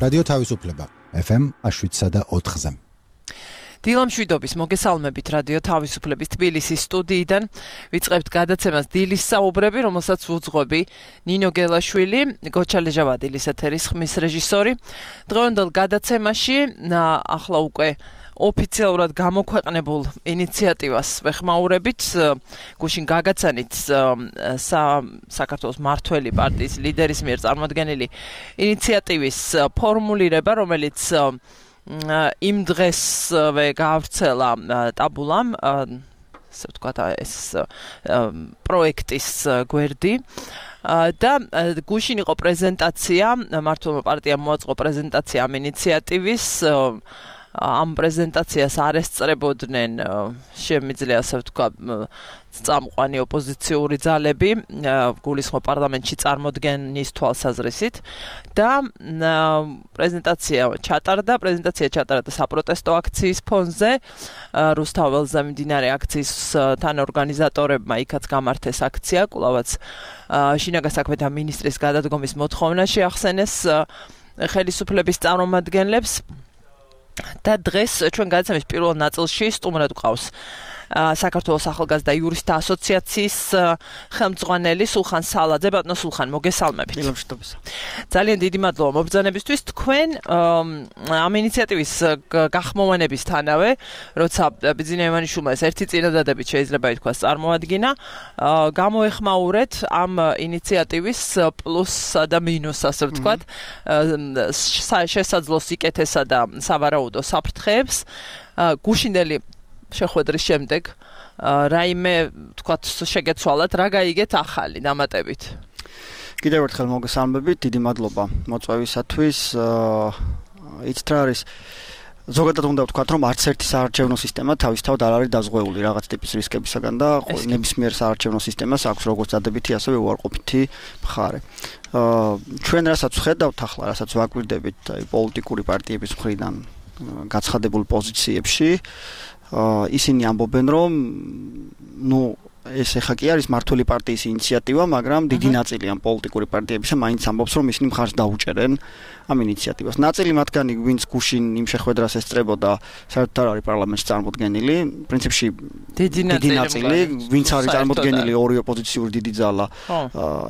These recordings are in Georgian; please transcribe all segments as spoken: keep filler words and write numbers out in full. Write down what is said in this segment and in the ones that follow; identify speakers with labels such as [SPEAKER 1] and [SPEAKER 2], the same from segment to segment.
[SPEAKER 1] რადიო თავისუფლება ეფ ემ შვიდსა და ოთხზე.
[SPEAKER 2] დილა მშვიდობის მოგესალმებით რადიო თავისუფლების თბილისის სტუდიიდან ვიწყებთ გადაცემას დილის საუბრები, რომელსაც უძღვები ნინო გელაშვილი, გოჩა ლეჟავადილის ეთერის ხმის რეჟისორი. დღევანდელ გადაცემაში ახლა უკვე ოფიციალურად გამოქვეყნებულ ინიციატივას ვეხმაურებით, გუშინ გაგაცანით საქართველოს მართველი პარტიის ლიდერის მიერ წარმოდგენილი ინიციატივის ფორმულირება, რომელიც იმ დღესვე გავრცელა ტაბულამ, ასე ვთქვათ, ეს პროექტის გვერდი. და გუშინ იყო პრეზენტაცია, მართლობა პარტიამ მოაწყო პრეზენტაცია ამ ინიციატივის. ამ პრეზენტაციას არ ესწრებოდნენ შემიძლია ასე ვთქვა წამყვანი ოპოზიციური ძალები გულისხმობ პარლამენტში წარმოდგენის თვალსაზრისით და პრეზენტაცია ჩატარდა პრეზენტაცია ჩატარდა საპროტესტო აქციის ფონზე რუსთაველზე მიმდინარე აქციის თანაორგანიზატორებმა იქაც გამართეს აქცია კვლავაც შინაგან საქმეთა მინისტრის გადადგომის მოთხოვნა შეახსენეს ხელისუფლების წარმომადგენლებს და დღეს ჩვენ გადაცემის პირველ ნაწილში სტუმრად გვყავს საქართველოს ახალგაზრდა იურისტთა ასოციაციის ხელმძღვანელი სულხან სალაძე. ბატონო სულხან, მოგესალმებით. ძალიან დიდი მადლობა მობრძანებისთვის. თქვენ ამ ინიციატივის გახმოვანებისთანავე, როცა ბიძინა ივანიშვილმა ეს ერთი წინადადებით შეიძლება ითქვას წარმოადგინა, გამოეხმაურეთ ამ ინიციატივის პლუსსა და მინუსს, ასე ვთქვათ, შესაძლო სიკეთესა და სავარაუდო საფრთხეებს. გუშინდელი შეხვედრის შემდეგ რაიმე თქვათ შეგეცვალათ, რა გაიგეთ ახალი დამატებით?
[SPEAKER 3] კიდევ ერთხელ მოგესალმებით, დიდი მადლობა მოწვევისათვის. იცით რა არის? ზოგადად უნდა ვთქვათ, რომ არც ერთი საარჩევნო სისტემა თავისთავად არ არის დაზღვეული რაღაც ტიპის რისკებისაგან და ნებისმიერ საარჩევნო სისტემას აქვს როგორც დადებითი, ასევე უარყოფითი მხარე. ჩვენ რასაც ვხედავთ ახლა, რასაც ვაკვირდებით აი პოლიტიკური პარტიების მხრიდან გაცხადებულ პოზიციებში, ისინი ამბობენ, რომ ნუ ეს ეხა კი არის მართველი პარტიის ინიციატივა, მაგრამ დიდი ნაწილი ამ პოლიტიკური პარტიებისა მაინც ამბობს, რომ ისინი მხარს დაუჭერენ ამ ინიციატივას. ნაწილი მათგანი, ვინც გუშინ იმ შეხვედრას ესწრებოდა, საერთოდ არ არის პარლამენტში წარმოდგენილი. პრინციპში დიდი ნაწილი, ვინც არის წარმოდგენილი ორი ოპოზიციური დიდი ძალა,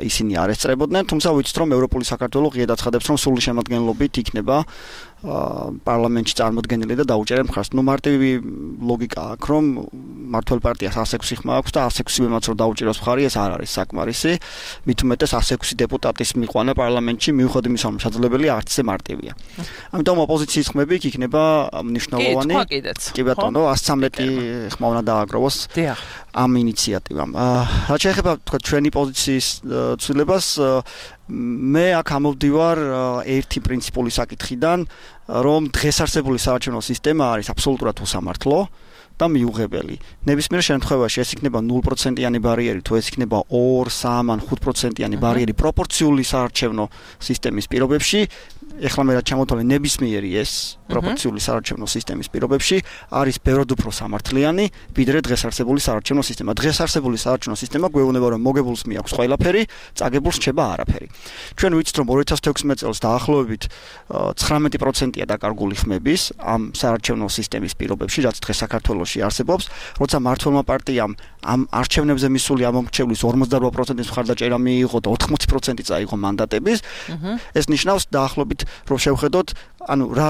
[SPEAKER 3] ისინი არ ესწრებოდნენ, თუმცა ვიცით, რომ ევროპული საქართველო ღიად აცხადებს, რომ სრული შემადგენლობით იქნება პარლამენტში წარმოდგენილი და დაუჭერენ მხარს. ნუ მარტივი ლოგიკა აქვს, რომ მართველ პარტიას ას ექვსი ხმა აქვს და ას ექვსი მემაც რომ დაუჭიროს მხარი, ეს არ არის საკმარისი. მით უმეტეს ას ექვსი დეპუტატის მიყვანა პარლამენტში მიუხედავად იმისა, რომ შესაძლებელი არც ისე მარტივია. ამიტომ ოპოზიციის ხმები იქ იქნება მნიშვნელოვანი. კი ბატონო, ას ცხრამეტი ხმა უნდა დააგროვოს ამ ინიციატივამ. რაც შეეხება თქვა ჩვენი პოზიციის ცვლილებას, მე აქ ამოვდივარ ერთი პრინციპული საკითხიდან, რომ დღეს არსებული საარჩევნო სისტემა არის აბსოლუტურად უსამართლო და მიუღებელი. ნებისმიერ შემთხვევაში ეს იქნება ნულ პროცენტიანი ბარიერი, თუ ეს იქნება ორი, სამი ან ხუთ პროცენტიანი ბარიერი პროპორციული საარჩევნო სისტემის პირობებში, ეხლა მე რაც ჩამოთვალე ნებისმიერი ეს პროპორციული საარჩევნო სისტემის პირობებში არის ბევრად უფრო სამართლიანი, ვიდრე დღეს არსებული საარჩევნო სისტემა. დღეს არსებული საარჩევნო სისტემა გვეუბნება, რომ მოგებულს მიაქვს ყველაფერი, წაგებულს რჩება არაფერი. ჩვენ ვიცით, რომ ორი ათას თექვსმეტ წელს დაახლოებით ცხრამეტი პროცენტია დაკარგული ხმების ამ საარჩევნო სისტემის პირობებში, რაც დღეს საქართველოში არსებობს, როცა მართლმა პარტიამ ამ არჩევნებზე მისული ამომრჩევლის ორმოცდარვა პროცენტის მხარდაჭერა მიიღო და ოთხმოცი პროცენტი წაიღო მანდატების, ეს ნიშნავს დაახლოებით რომ შევხედოთ, ანუ რა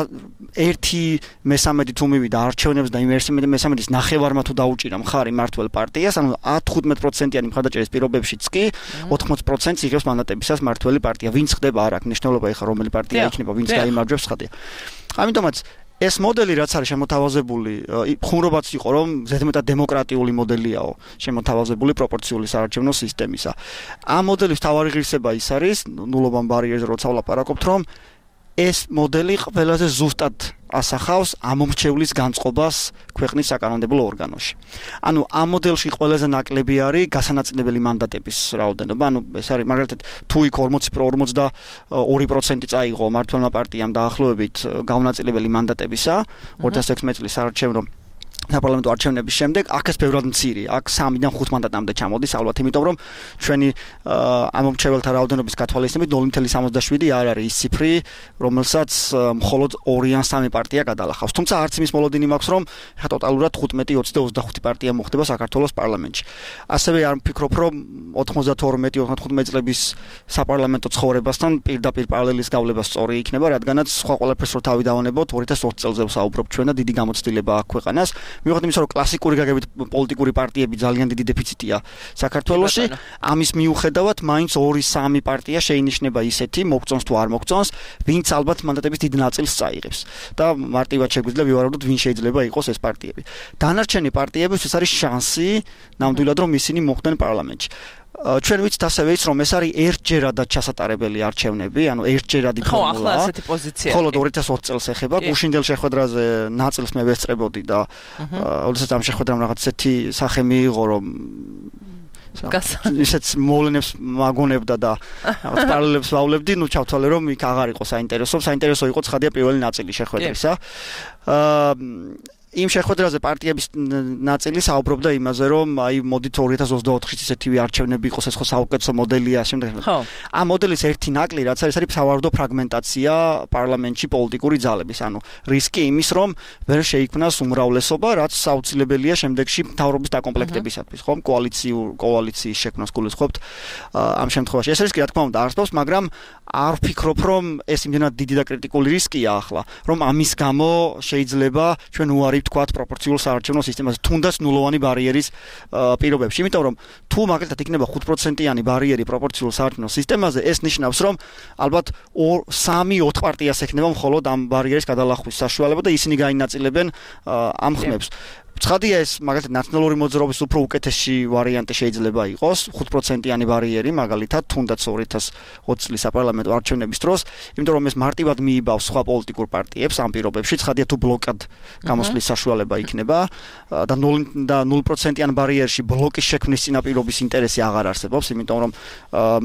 [SPEAKER 3] ერთი მესამედი თუ მივიდა არჩევნებს და იმ ერთი მესამედის ნახევარმა თუ დაუჭირა მხარი მართლ პარტიას, ანუ ათი-თხუთმეტი პროცენტიანი მხარდაჭერის პირობებშიც კი ოთხმოცი პროცენტს იღებს მანდატებისას მართველი პარტია. ვინც ხდება არ აქვს მნიშვნელობა ეხლა რომელი პარტია იქნება, ვინც გაიმარჯვებს ხდება. ამიტომაც ეს მოდელი რაც არის შემოთავაზებული, ხუმრობაც იყო, რომ ზედმეტად დემოკრატიული მოდელიაო, შემოთავაზებული პროპორციული საარჩევნო სისტემისა. ამ მოდელის მთავარი ღირსება ის არის, ნულობამ ბარიერზე როცა ვლაპარაკობთ, რომ ეს მოდელი ყველაზე ზუსტად ასახავს ამომრჩევლის განწყობას ქვეყნის საკანონმდებლო ორგანოში. ანუ ამ მოდელში ყველაზე ნაკლები არის გასანაწილებელი მანდატების რაოდენობა. ანუ ეს არის მაგალითად თუ იქ ორმოცდაორი პროცენტი წაიღო მართლმა პარტიამ დაახლოებით გაუნაწილებელი მანდატებისა ორი ათას ექვსმეტი წლის საარჩევნო საპარლამენტო არჩევნების შემდეგ აქაც ბევრად მცირე, აქ სამიდან ხუთ მანდატამდე ჩამოდის ალბათ, იმიტომ რომ ჩვენი ამომრჩეველთა რაოდენობის გათვალისწინებით ნული კომა სამოცდაშვიდი არ არის ის ციფრი, რომელსაც მხოლოდ ორი ან სამი პარტია გადალახავს. თუმცა არც იმის მოლოდინი მაქვს, რომ ხა ტოტალურად ხუთმეტი, ოცი და ოცდახუთი პარტია მოხდება საქართველოს პარლამენტში. ასევე არ ვფიქრობ, რომ ოთხმოცდათორმეტი ოცდათხუთმეტი წლების საპარლამენტო ცხოვრებასთან პირდაპირ პარალელის გავლება სწორი იქნება, რადგანაც სხვა ყველაფერს რო თავი დავანებოთ, ორი ათას ოცი წელზე ვსაუბრობ ჩვენ და დიდი გამოცდილება აქვს ქვეყანას. მიუხედავად იმისა, რომ კლასიკური გაგებით პოლიტიკური პარტიები ძალიან დიდი დეფიციტია საქართველოში, ამის მიუხედავად მაინც ორი სამი პარტია შეინიშნება ისეთი, მოგწონს თუ არ მოგწონს, ვინც ალბათ მანდატების დიდ ნაწილს წაიღებს. და მარტივად შეგვიძლია ვივარაუდოთ, ვინ შეიძლება იყოს ეს პარტიები. დანარჩენი პარტიებისთვის არის შანსი ნამდვილად რომ ისინი მოხვდნენ პარლამენტში. ჩვენ ვიცით ასევე ის რომ ეს არის ერთჯერადად ჩასატარებელი არჩევნები, ანუ ერთჯერადი ფორმულა.
[SPEAKER 2] ხო, ახლა ასეთი პოზიცია.
[SPEAKER 3] ხოლო ორი ათას ოცი წელს ეხება, გუშინდელ შეხვედრაზე ნაწილს მე ვესწრებოდი და ოდესაც ამ შეხვედრამ რაღაც ესეთი სახე მიიღო, რომ ისეთ მოვლენებს მაგონებდა და რაღაც პარალელებს ვავლებდი, ნუ ჩავთვალე რომ იქ აღარ იყო საინტერესო, საინტერესო იყო ცხადია პირველი ნაწილი შეხვედრისა. აა იმ შეხვედრაზე პარტიების ნაწილი საუბრობდა იმაზე, რომ აი მოდით ორი ათას ოცდაოთხის ისეთივე არჩევნები იყოს, ეს ხო საუკეთესო მოდელია, შემდეგ. ამ მოდელის ერთი ნაკლი რაც არის, არის სავარაუდო ფრაგმენტაცია პარლამენტში პოლიტიკური ძალების, ანუ რისკი იმის, რომ ვერ შეიქმნას უმრავლესობა, რაც საუცილებელია შემდეგში მთავრობის დაკომპლექტებისათვის, ხომ? კოალიციურ კოალიციის შექმნას გულისხმობთ ამ შემთხვევაში. ეს რისკი რა თქმა უნდა არსებობს, მაგრამ არ ვფიქრობ, რომ ეს იმდენად დიდი და კრიტიკული რისკია ახლა, რომ ამის გამო შეიძლება ჩვენ უარი თქვათ პროპორციულ საარჩევნო სისტემაზე, თუნდაც ნულოვანი ბარიერის პირობებში, იმიტომ რომ თუ მაგალითად იქნება ხუთ პროცენტიანი ბარიერი პროპორციულ საარჩევნო სისტემაზე, ეს ნიშნავს, რომ ალბათ სამი ოთხ პარტიას ექნება მხოლოდ ამ ბარიერის გადალახვის საშუალება და ისინი გაინაწილებენ ამ ხმებს. ცხადია ეს მაგალითად ნაციონალური მოძრაობის უფრო უკეთესი ვარიანტი შეიძლება იყოს, ხუთ პროცენტიანი ბარიერი მაგალითად, თუნდაც ორი ათას ოცი წლის საპარლამენტო არჩევნების დროს, იმიტომ რომ ეს მარტივად მიიბავს სხვა პოლიტიკურ პარტიებს ამ პირობებში, ცხადია თუ ბლოკად გამოსვლის საშუალება იქნება და ნული პროცენტიან ბარიერში ბლოკის შექმნის წინაპირობის ინტერესი აღარ არსებობს, იმიტომ რომ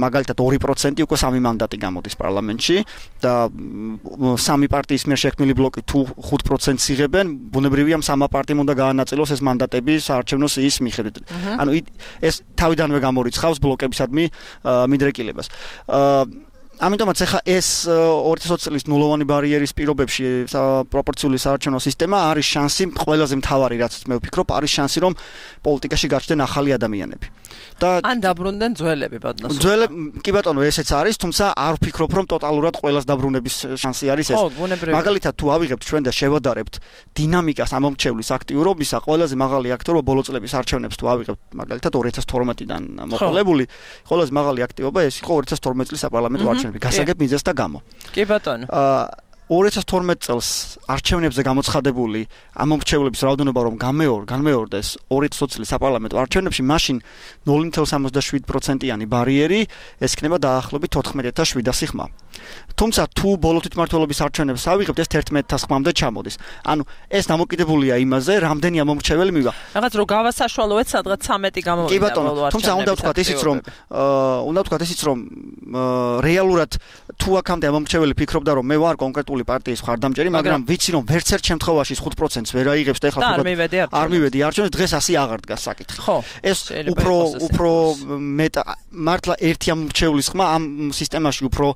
[SPEAKER 3] მაგალითად ორი პროცენტი უკვე სამი მანდატი გამოდის პარლამენტში და სამი პარტიის მიერ შექმნილი ბლოკი თუ ხუთ პროცენტს იღებენ, ბუნებრივია სამა პარტიამ უნდა განაწილოს ეს მანდატები საარჩევნო სიის მიხედვით. ანუ ეს თავიდანვე გამორიცხავს ბლოკებისადმი მიდრეკილებას. ამიტომაც ახლა ეს ორი ათას ოცი წლის ნულოვანი ბარიერის პირობებში პროპორციული საარჩევნო სისტემა არის შანსი, ყველაზე მთავარი რაც მე ვფიქრობ, არის შანსი რომ პოლიტიკაში გაჩნდნენ ახალი ადამიანები. და
[SPEAKER 2] ან დაბრუნდნენ ძველები ბატონო.
[SPEAKER 3] ძველები კი ბატონო ესეც არის, თუმცა არ ვფიქრობ რომ ტოტალურად ყველას დაბრუნების შანსი არის ეს. მაგალითად თუ ავიღებთ ჩვენ და შევადარებთ დინამიკას ამომრჩევლის აქტიურობისა, ყველაზე მაღალი აქტიურობა ბოლო წლების არჩევნებს თუ ავიღებთ მაგალითად ორი ათას თორმეტიდან მოყოლებული, ყველაზე მაღალი აქტიურობა ეს იყო ორი ათას თორმეტი წლის საპარლამენტო არჩევნები. გასაგებ მიზეზს და გამო.
[SPEAKER 2] კი ბატონო.
[SPEAKER 3] აა ორი ათას თორმეტი წელს არჩევნებზე გამოცხადებული ამომრჩევლების რაოდენობა რომ გამეორ, განმეორდეს ორი ათას ოცი წლის საპარლამენტო არჩევნებში, მაშინ ნული კომა სამოცდაშვიდი პროცენტიანი ბარიერი ეს იქნება დაახლოებით ოთხმეტი ათას შვიდასი ხმა. თუმცა თუ ბოლო თვითმმართველობის არჩევნებს ავიღებთ, ეს თერთმეტი ათას ხმამდე ჩამოდის. ანუ ეს დამოკიდებულია იმაზე, რამდენი ამომრჩეველი მივა.
[SPEAKER 2] რაღაც რო გავასაშუალოეთ, სადღაც ცამეტი გამოვიდა ბოლო არჩევნებში.
[SPEAKER 3] თუმცა უნდა ვთქვათ ისიც, რომ უნდა ვთქვათ ისიც, რომ რეალურად თუ აქამდე ამომრჩეველი ფიქრობდა, რომ მე ვარ კონკრეტული პარტიის მხარდამჭერი, მაგრამ ვიცი რომ ვერც ერთ შემთხვევაში ხუთ პროცენტს ვერ აიღებს და ეხლა
[SPEAKER 2] არ მივედი
[SPEAKER 3] არ მივედი არჩევნებს, დღეს ასე აღარ დგას საკითხი. ეს უფრო უფრო მეტა მართლა ერთი ამომრჩევლის ხმა ამ სისტემაში უფრო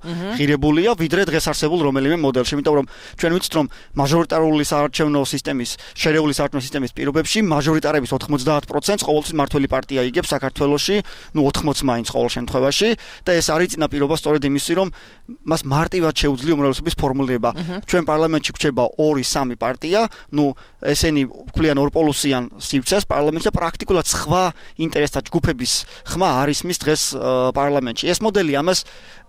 [SPEAKER 3] ღირებულია, ვიდრე დღეს არსებულ რომელიმე მოდელში, იმიტომ რომ ჩვენ ვიცით რომ მაჟორიტარული საარჩევნო სისტემის, შერეული საარჩევნო სისტემის პირობებში მაჟორიტარების ოთხმოცდაათ პროცენტს ყოველთვის მართველი პარტია იგებს საქართველოში, ნუ ოთხმოცი მაინც ყოველ შემთხვევაში და ეს არის წინაპირობა სწორედ იმისი, რომ მას მარტივად შეუძლია უმრავლესობის ფორმულირება. ჩვენ პარლამენტში გვჭება ორი სამი პარტია, ნუ ესენი ვქლიან ორპოლუსიან სივრცეს პარლამენტში და პრაქტიკულად სხვა ინტერესთა ჯგუფების ხმა არ ისმის დღეს პარლამენტში. ეს მოდელი ამას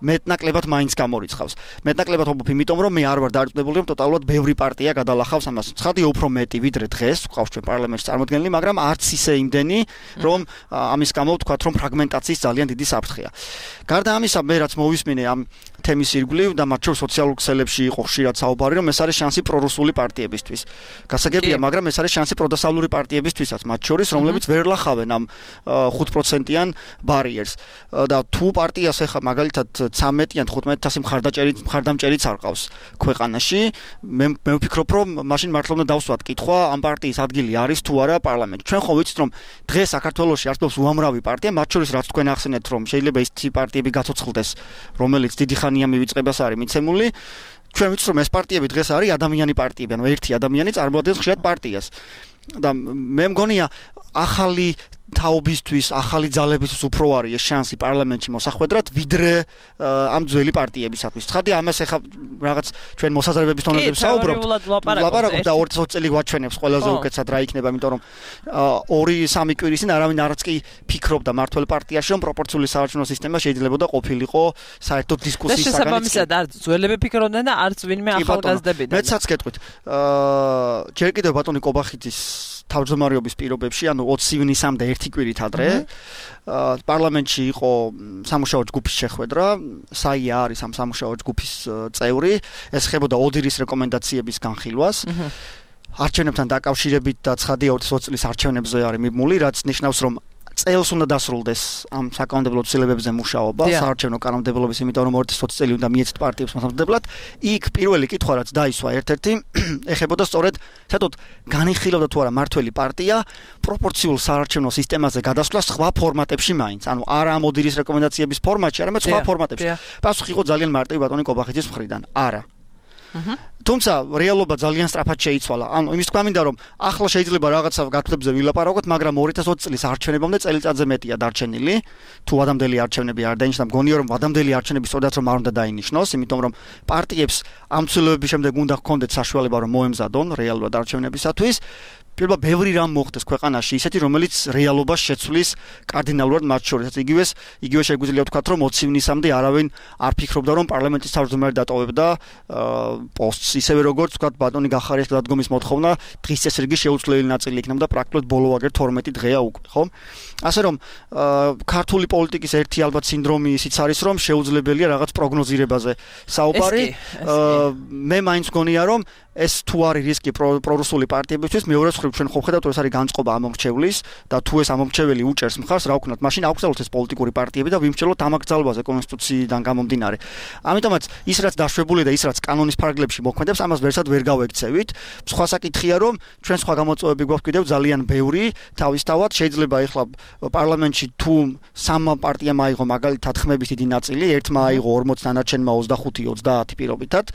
[SPEAKER 3] მეტნაკლებად მაინც გამორიცხავს. მეტნაკლებად ვფიქრობ, იმიტომ რომ მე არ ვარ დარწმუნებული, რომ ტოტალურად ბევრი პარტია გადალახავს ამას. ცხადია უფრო მეტი ვიდრე დღეს გვყავს ჩვენ პარლამენტში წარმოდგენილი, მაგრამ არც ისე იმდენი, რომ ამის გამო ვთქვათ, რომ ფრაგმენტაციის ძალიან დიდი საფრთხეა. გარდა ამისა, მე რაც მოვისმინე ამ თემის ირგვლივ და მათ შორის სოციალურ ქსელებში იყო ხშირად საუბარი, რომ ეს არის შანსი პრორუსული პარტიებისთვის. გასაგებია, მაგრამ ეს არის შანსი პროდასავლური პარტიებისთვისაც, მათ შორის, რომლებიც ვერ ლახავენ ამ ხუთ პროცენტიან ბარიერს. და თუ პარტიას ეხა მაგალითად ცამეტი ან თხუთმეტი ათასი მხარდაჭერი მხარდამჭერიც არ ყავს ქვეყანაში, მე მე ვფიქრობ, რომ მაშინ მართლა უნდა დავსვათ კითხვა, ამ პარტიის ადგილი არის თუ არა პარლამენტში. ჩვენ ხო ვიცით, რომ დღეს საქართველოში არსებობს უამრავი პარტია, მათ შორის რაც თქვენ ახსენეთ, რომ შეიძლება ის პარტიები გაცოცხლდეს, რომელიც დიდი ხანია მივიწყებას არის მიცემული. ჩვენ ვიცით, რომ ეს პარტიები დღეს არის ადამიანი პარტიები, ანუ ერთი ადამიანი წარმოადგენს ხშირად პარტიას. და მე მგონია ახალი თაობისთვის, ახალი ძალებისთვის უფრო არის ეს შანსი პარლამენტში მოსახვედრად, ვიდრე ამ ძველი პარტიებისათვის. ცხადია, ამას ეხა რაღაც ჩვენ მოსაზრებების თონებზე საუბრობთ. ლაპარაკობთ და ოცი წელი გვაჩვენებს ყველაზე უკეთესად რა იქნება, იმიტომ რომ ორი სამი კვირის წინ არავინ არც კი ფიქრობდა მართველ პარტიაში, რომ პროპორციული საარჩევნო სისტემა შეიძლება და ყოფილიყო საერთოდ დისკუსიის საგანი.
[SPEAKER 2] შესაბამისად, არც ძველები ფიქრობდნენ და არც ვინმე ახალგაზრდებიდან.
[SPEAKER 3] მეცაც გეტყვით. აა ჯერ კიდევ ბატონი კობახიძის თავმჯდომარეობის პირობებში, ანუ ოცი ივნისამდე ერთი კვირით ადრე, პარლამენტში იყო სამუშაო ჯგუფის შეხვედრა, საია არის ამ სამუშაო ჯგუფის წევრი, ეს ხებოდა ოდირის რეკომენდაციების განხილვას. არჩევნებთან დაკავშირებით და ცხადია ოცი წლის არჩევნებზე არის მიმული, რაც ნიშნავს, რომ წელს უნდა დასრულდეს ამ საკანონმდებლო ცვლილებებზე მუშაობა, საარჩევნო კანონმდებლობის, იმიტომ რომ ოცი წელი უნდა მიეცეთ პარტიებს მოსამზადებლად. იქ პირველი კითხვა რაც დაისვა ერთ-ერთი ეხებოდა სწორედ, საერთოდ განიხილავდა თუ არა მართველი პარტია პროპორციულ საარჩევნო სისტემაზე გადასვლა სხვა ფორმატებში მაინც, ანუ არა ამ ოდირის რეკომენდაციების ფორმატში, არამედ სხვა ფორმატებში. პასუხი იყო ძალიან მარტივი ბატონი კობახიძის მხრიდან. არა. თუმცა რეალობა ძალიან სწრაფად შეიცვალა. ანუ იმის თქვა მინდა რომ ახლა შეიძლება რაღაცა გათვლებზე ვილაპარაკოთ, მაგრამ ორი ათას ოცი წლის არჩევნებამდე წელიწადზე მეტია დარჩენილი. თუ ადამიანები არჩევნები არ დაინიშნა, მგონია რომ ადამიანები არჩევნები სწორად რომ არ უნდა დაინიშნოს, იმიტომ რომ პარტიებს ამ ცვლილებების შემდეგ უნდა ჰქონდეთ საშუალება რომ მოემზადონ რეალურად არჩევნებისათვის. პირველად ბევრი რამ მოხდეს ქვეყანაში, ისეთი რომელიც რეალობას შეცვლის კარდინალურად მათ შორის. იგივეს, იგივე შეგვიძლია ვთქვათ, რომ ოცი ივნისამდე არავინ არ ფიქრობდა, რომ პარლამენტის თავმჯდომარე დატოვებდა პოსტს, ისევე როგორც ვთქვათ, ბატონი გახარიას დადგომის მოთხოვნა, დღის წესრიგის შეუცვლელი ნაწილი იქნება და პრაქტიკულად ბოლო ვაგერ თორმეტი დღეა უკვე, ხო? ასე რომ ქართული პოლიტიკის ერთი ალბათ სინდრომი ისიც არის, რომ შეუძლებელია რაღაც პროგნოზირებაზე საუბარი. მე მაინც მგონია, რომ ეს თუ არის რისკი პრორუსული პარტიებისთვის, მეორე მხრივ ჩვენ ხო ხედავთ, რომ ეს არის განწყობა ამომრჩევლის და თუ ეს ამომრჩეველი უჭერს მხარს, რა ვქნათ, მაშინ აგვცელოთ ეს პოლიტიკური პარტიები და ვიმსჯელოთ ამ აკრძალვაზე კონსტიტუციიდან გამომდინარე. ამიტომაც ის რაც დაშვებული და ის რაც კანონის ფარგლებში მოქმედებს, ამას ვერსად ვერ გავექცევით. სხვა საკითხია, რომ ჩვენ სხვა გამოწვევები გვაქვს კიდევ ძალიან ბევრი, თავისთავად შეიძლება ეხლა პარლამენტში თუ სამ პარტიამ აიღო მაგალითად ხმების დიდი ნაწილი, ერთმა აიღო ორმოცი, დანარჩენმა ოცდახუთი ოცდაათი პირობითად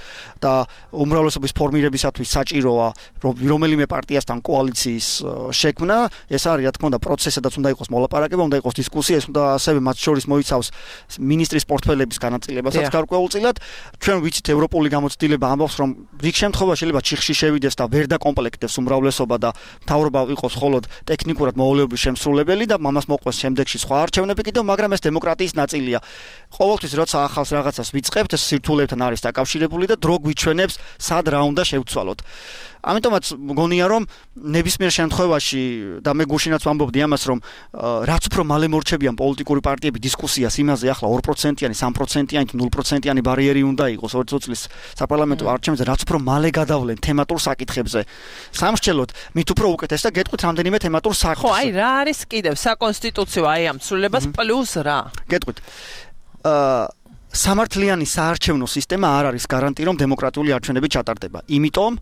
[SPEAKER 3] და უმრავლესობის ფორმირებისათვის საჭიროა რომელიმე პარტიასთან კოალიციის შექმნა. ეს არის რა თქმა უნდა პროცესი, სადაც უნდა იყოს მოლაპარაკება, უნდა იყოს დისკუსია, ეს უნდა ასევე მათ შორის მოიცავს მინისტრის პორტფელების განაწილებასაც გარკვეულწილად. ჩვენ ვიცით ევროპული გამოცდილება ამბობს, რომ რიგ შემთხვევაში შეიძლება ჩიხში შევიდეს და ვერ დაკომპლექტებს უმრავლესობა და მთავრობა იყოს მხოლოდ ტექნიკურად მოვალეობის შემსრულებელი და ამას მოყვეს შემდეგში სხვა არჩევნები კიდევ, მაგრამ ეს დემოკრატიის ნაწილია. ყოველთვის როცა ახალს რაღაცას ვიწყებთ, ეს სირთულეებთან არის დაკავშირებული და დრო გვიჩვენებს, სად რა უნდა შევცვალოთ. ამიტომაც მგონია რომ ნებისმიერ შემთხვევაში და მე გუშინაც ვამბობდი ამას, რომ რაც უფრო მალე მორჩებიან პოლიტიკური პარტიები დისკუსიას იმაზე, ახლა ორი პროცენტიანი, სამი პროცენტიანი, ნული პროცენტიანი ბარიერი უნდა იყოს ოცი წლის საპარლამენტო არჩევნებზე, რაც უფრო მალე გადავლენ თემატურ საკითხებზე. სამრჩელოდ მით უფრო უკეთეს და გეტყვით რამდენიმე თემატურ საკითხს.
[SPEAKER 2] ხო, აი რა არის კიდევ საკონსტიტუციო აი ამ ცვლილებას პლუს რა?
[SPEAKER 3] გეტყვით. აა სამართლიანი საარჩევნო სისტემა არ არის გარანტი, რომ დემოკრატიული არჩევნები ჩატარდება. იმიტომ,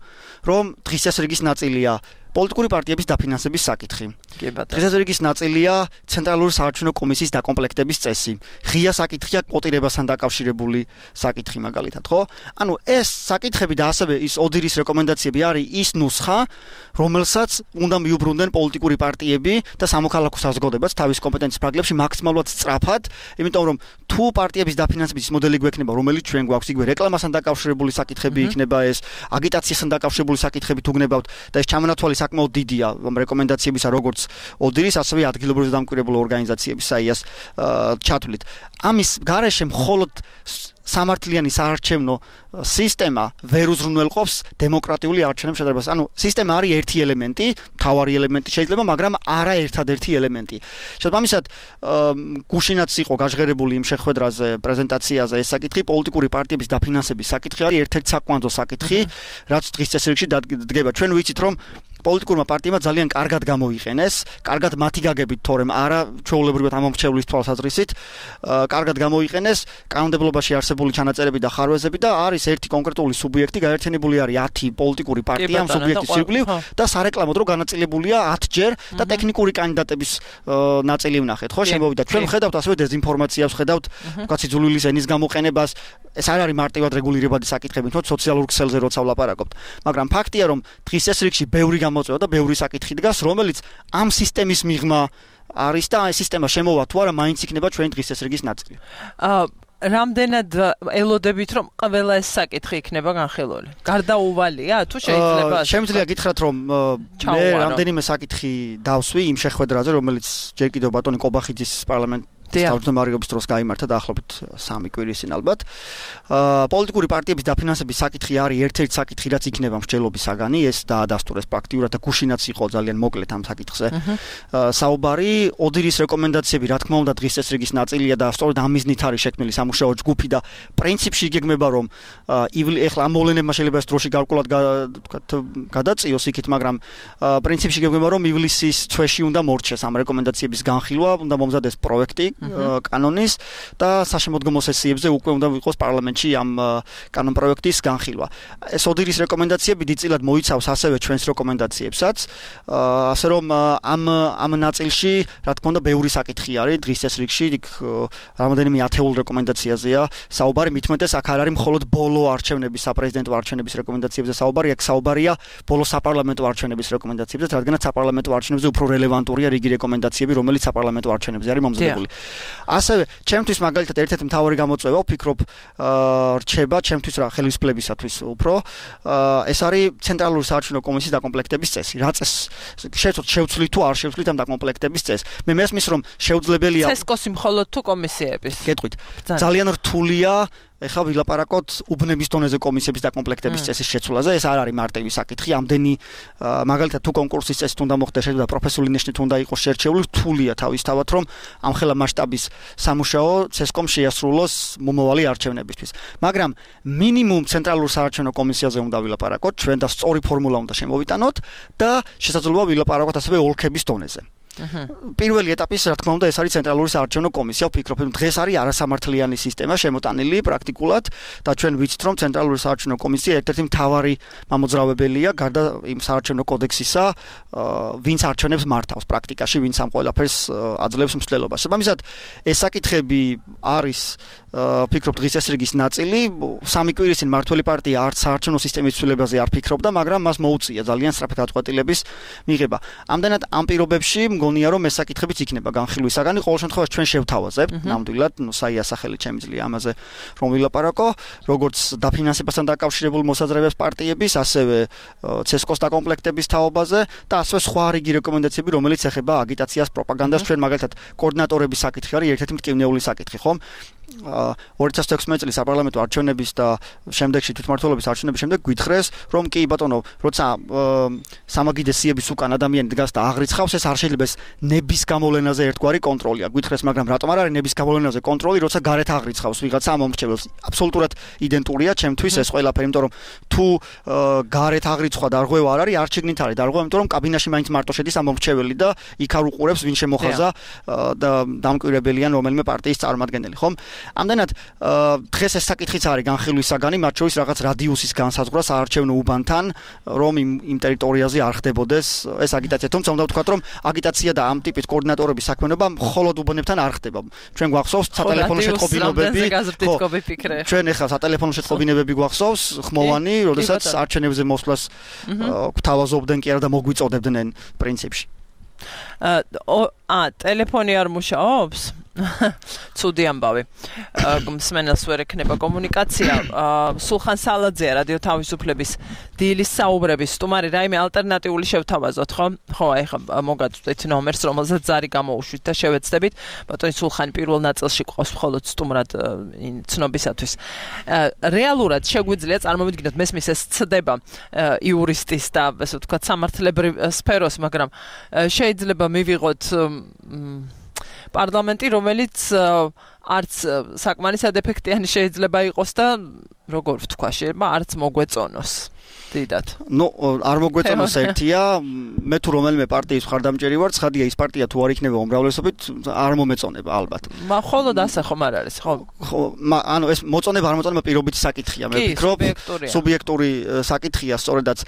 [SPEAKER 3] რომ დღის წესრიგის ნაწილია პოლიტიკური პარტიების დაფინანსების საკითხი. დღის წესრიგის ნაწილია ცენტრალური საარჩევნო კომისიის დაკომპლექტების წესი. ღია საკითხია კოტირებასთან დაკავშირებული საკითხი მაგალითად, ხო? ანუ ეს საკითხები და ასევე ის ოდირის რეკომენდაციები არის ის ნუსხა, რომელსაც უნდა მიუბრუნდნენ პოლიტიკური პარტიები და სამოქალაქო საზოგადოებაც თავის კომპეტენციის ფარგლებში მაქსიმალურად სწრაფად, იმიტომ რომ თუ პარტიების დაფინანსების მოდელი გვექნება, რომელიც ჩვენ გვაქვს, იგივე რეკლამასთან დაკავშირებული საკითხები იქნება ეს, აგიტაციასთან დაკავშირებული საკითხები თუ გნებავთ და ეს ჩამონათვალი საკმაოდ დიდია რეკომენდაციებისა, როგორც ოდირის, ასევე ადგილობრივი დამკვირვებლო ორგანიზაციების საიას ჩათვლით. ამის გარეშე მხოლოდ სამართლიანი საარჩევნო სისტემა ვერ უზრუნველყოფს დემოკრატიული არჩევნების შედარებას. ანუ სისტემა არის ერთი ელემენტი, მთავარი ელემენტი შეიძლება, მაგრამ არა ერთადერთი ელემენტი. შესაბამისად, გუშინაც იყო გაჟღერებული იმ შეხვედრაზე, პრეზენტაციაზე ეს საკითხი, პოლიტიკური პარტიების დაფინანსების საკითხი არის ერთ-ერთი საკვანძო საკითხი, რაც დღის წესრიგში დგება. ჩვენ ვიცით, რომ პოლიტიკურმა პარტიებმა ძალიან კარგად გამოიყენეს, კარგად მათი გაგებით, თორემ არა ჩვეულებრივად ამომრჩევლის თვალსაზრისით, კარგად გამოიყენეს კანონმდებლობაში არსებული ჩანაწერები და ხარვეზები და არის ერთი კონკრეტული სუბიექტი, გაერთიანებული არის ათი პოლიტიკური პარტია ამ სუბიექტის ირგვლივ და სარეკლამო დრო განაწილებულია ათჯერ და ტექნიკური კანდიდატების ნაწილი ვნახეთ, ხო, შემოვიდა. ჩვენ ვხედავთ ასევე დეზინფორმაციას, ვხედავთ ვთქვათ სიძულვილის ენის გამოყენებას, ეს არ არის მარტივად რეგულირებადი საკითხები, თორე სოციალურ ქსელზე როცა ვლაპარაკობთ. მაგრამ ფაქტია, რომ დღის წესრიგში ბევრი გამოწვევა და ბევრი საკითხი დგას, რომელიც ამ სისტემის მიღმა არის და ეს სისტემა შემოვა თუ არა, მაინც იქნება ჩვენი დღის წესრიგის ნაწილი.
[SPEAKER 2] აა რამდენად ელოდებით, რომ ყველა ეს საკითხი იქნება განხილული? გარდაუვალია თუ შეიძლება?
[SPEAKER 3] შემიძლია გითხრათ, რომ მე რამდენიმე საკითხი დავსვი იმ შეხვედრაზე, რომელიც ჯერ კიდევ ბატონი კობახიძის პარლამენტ თავმჯდომარეობის დროს გაიმართა დაახლოებით სამი კვირის წინ ალბათ. პოლიტიკური პარტიების დაფინანსების საკითხი არის ერთ-ერთი საკითხი, რაც იქნება მსჯელობის საგანი, ეს დაადასტურეს პრაქტიკულად და გუშინაც იყო ძალიან მოკლედ ამ საკითხზე. საუბარი, ოდირის რეკომენდაციები, რა თქმა უნდა, დღის წესრიგის ნაწილია და სწორედ ამ მიზნით არის შექმნილი სამუშაო ჯგუფი და პრინციპში იგეგმება, რომ ეხლა ამ მოვლენებმა შეიძლება ეს დროში გარკვეულად ვთქვათ გადაწიოს იქით, მაგრამ პრინციპში იგეგმება, რომ ივლისის თვეში უნდა მორჩეს ამ რეკომენდაციების განხილვა, უნდა მომზადეს პროექტი კანონის და საშემოდგომო სესიებზე უკვე უნდა იყოს პარლამენტში ამ კანონ პროექტის განხილვა. ეს ოდირის რეკომენდაციები დიდწილად მოიცავს ასევე ჩვენს რეკომენდაციებსაც, ასე რომ ამ ამ ნაწილში, რა თქმა უნდა, ბევრი საკითხი არის დღის წესრიგში, იქ რამოდენიმე ათეულ რეკომენდაციაზეა საუბარი, მithumetes აქ არ არის მხოლოდ ბოლო არჩევნების, საპრეზიდენტო არჩევნების რეკომენდაციებზე საუბარი, აქ საუბარია ბოლო საპარლამენტო არჩევნების რეკომენდაციებზე, რადგანაც საპარლამენტო არჩევნებზე უფრო რელევანტურია რიგი რეკომენდაციები, რომელიც საპარლამენტო არჩევნებზე არის მომზადებული. ასევე ჩემთვის მაგალითად ერთ-ერთი მთავარი გამოწვევა ვფიქრობ რჩება ჩემთვის რა ხელისუფლებისათვის უფრო ეს არის ცენტრალური საარჩევნო კომისიის დაკომპლექტების წესი. რა წესს შეცოთ შევცვლით თუ არ შევცვლით ამ დაკომპლექტების წესს. მე მესმის რომ შეუძლებელია
[SPEAKER 2] ცესკოსი მხოლოდ თუ კომისიების.
[SPEAKER 3] გეტყვით. ძალიან რთულია ეხლა ვილაპარაკოთ უბნების დონეზე კომისიების დაკომპლექტების წესის შეცვლაზე, ეს არ არის მარტივი საკითხი, ამდენი მაგალითად თუ კონკურსის წესით უნდა მოხდეს, შეიძლება პროფესიული ნიშნით უნდა იყოს შერჩეული, რთულია თავისთავად, რომ ამხელა მასშტაბის სამუშაო ცესკომ შეასრულოს მომავალი არჩევნებისთვის. მაგრამ მინიმუმ ცენტრალურ საარჩევნო კომისიაზე უნდა ვილაპარაკოთ, ჩვენ და სწორი ფორმულა უნდა შემოვიტანოთ და შესაძლოა ვილაპარაკოთ ასევე ოლქების დონეზე. პირველი ეტაპის, რა თქმა უნდა, ეს არის ცენტრალური საარჩევნო კომისია. ვფიქრობ, რომ დღეს არის არასამართლიანი სისტემა შემოტანილი პრაქტიკულად და ჩვენ ვიცით, რომ ცენტრალური საარჩევნო კომისია ერთ-ერთი მთავარი მამოძრავებელია გარდა იმ საარჩევნო კოდექსისა, ვინც არჩევნებს მართავს პრაქტიკაში, ვინც ამ ყველაფერს აძლევს მსვლელობას. შესაბამისად, ეს საკითხები არის ვფიქრობ დღის წესრიგის ნაწილი. სამი კვირის წინ მართველი პარტია არც საარჩევნო სისტემის ცვლილებაზე არ ფიქრობდა, მაგრამ მას მოუწია ძალიან სწრაფი გადაწყვეტილების მიღება. ამდენად ამ პირობებში მგონია რომ ეს საკითხებიც იქნება განხილვის საგანი. ყოველ შემთხვევაში ჩვენ შევთავაზებთ ნამდვილად, ნუ საია სახელით შემიძლია ამაზე რომ ვილაპარაკო, როგორც დაფინანსებასთან დაკავშირებული მოსაზრებებს პარტიების, ასევე ცესკოს დაკომპლექტების თაობაზე და ასევე სხვა რიგი რეკომენდაციები, რომელიც ეხება აგიტაციას, პროპაგანდას. ჩვენ მაგალითად კოორდინატორების საკითხი არის ერთ-ერთი მტკივნეული საკითხი, ხომ? ორი ათას თექვსმეტ წლის საპარლამენტო არჩევნების და შემდეგში თვითმმართველობის არჩევნების შემდეგ გვითხრეს, რომ კი ბატონო, როცა სამაგიდე სიების უკან ადამიანი დგას და აღრიცხავს, ეს არ შეიძლება ეს ნების გამოვლენაზე ერთგვარი კონტროლია. გვითხრეს, მაგრამ რატომ არ არის ნების გამოვლენაზე კონტროლი, როცა გარეთ აღრიცხავს ვიღაცა მომრჩეველს? აბსოლუტურად იდენტურია ჩემთვის ეს ყველაფერი, იმიტომ რომ თუ გარეთ აღრიცხვა დარღვევა არ არის, არ შეგნით არის დარღვევა, იმიტომ რომ კაბინაში მაინც მარტო შედის ამომრჩეველი და იქ არ უყურებს ვინ შემოხაზა და დამკვირვებელიან რომელიმე პარტიის წარმომადგენელი, ხომ? ამდენად დღეს ეს საკითხიც არის განხილვის საგანი, მათ შორის რაღაც რადიუსის განსაზღვრა საარჩევნო უბანთან, რომ იმ იმ ტერიტორიაზე არ ხდებოდეს ეს აგიტაცია. თუმცა უნდა ვთქვათ, რომ აგიტაცია და ამ ტიპის კოორდინატორების საქმიანობა მხოლოდ უბნებთან არ ხდება. ჩვენ გვახსოვს სატელეფონო შეტყობინებები. ჩვენ ეხლა სატელეფონო შეტყობინებები გვახსოვს, ხმოვანი, როდესაც არჩევნებზე მოსვლას გვთავაზობდნენ კი არა და მოგვიწოდებდნენ პრინციპში.
[SPEAKER 2] აა ტელეფონი არ მუშაობს? ცუდი ამბავი. მსმენელს ვერ ექნება კომუნიკაცია. სულხან სალაძეა რადიო თავისუფლების დილის საუბრების სტუმარი. რაიმე ალტერნატიული შევთავაზოთ, ხო? ხო, აი ხა მოგაწვდით ნომერს, რომელზეც ზარი გამოუშვით და შევეცდებით. ბატონი სულხანი პირველ ნაწილში ყავს მხოლოდ სტუმრად ცნობისათვის. რეალურად შეგვიძლია წარმოვიდგინოთ მესმის ეს ცდება იურისტის და ასე ვთქვათ სამართლებრივ სფეროს, მაგრამ შეიძლება მივიღოთ პარლამენტი, რომელიც არც საკმარისად ეფექტიანი შეიძლება იყოს და როგორ ვთქვა, შეიძლება არც მოგვეწონოს. დიდად.
[SPEAKER 3] ნუ არ მოგვეწონოს ერთია, მე თუ რომელიმე პარტიის მხარდამჭერი ვარ, ცხადია ის პარტია თუ არ იქნება უმრავლესობით, არ მომეწონება ალბათ.
[SPEAKER 2] მა ხოლოდ ასე ხომ არ არის, ხო?
[SPEAKER 3] ხო, ანუ ეს მოწონება არ მოწონება პირობითი საკითხია, მე ვფიქრობ, სუბიექტური საკითხია სწორედაც.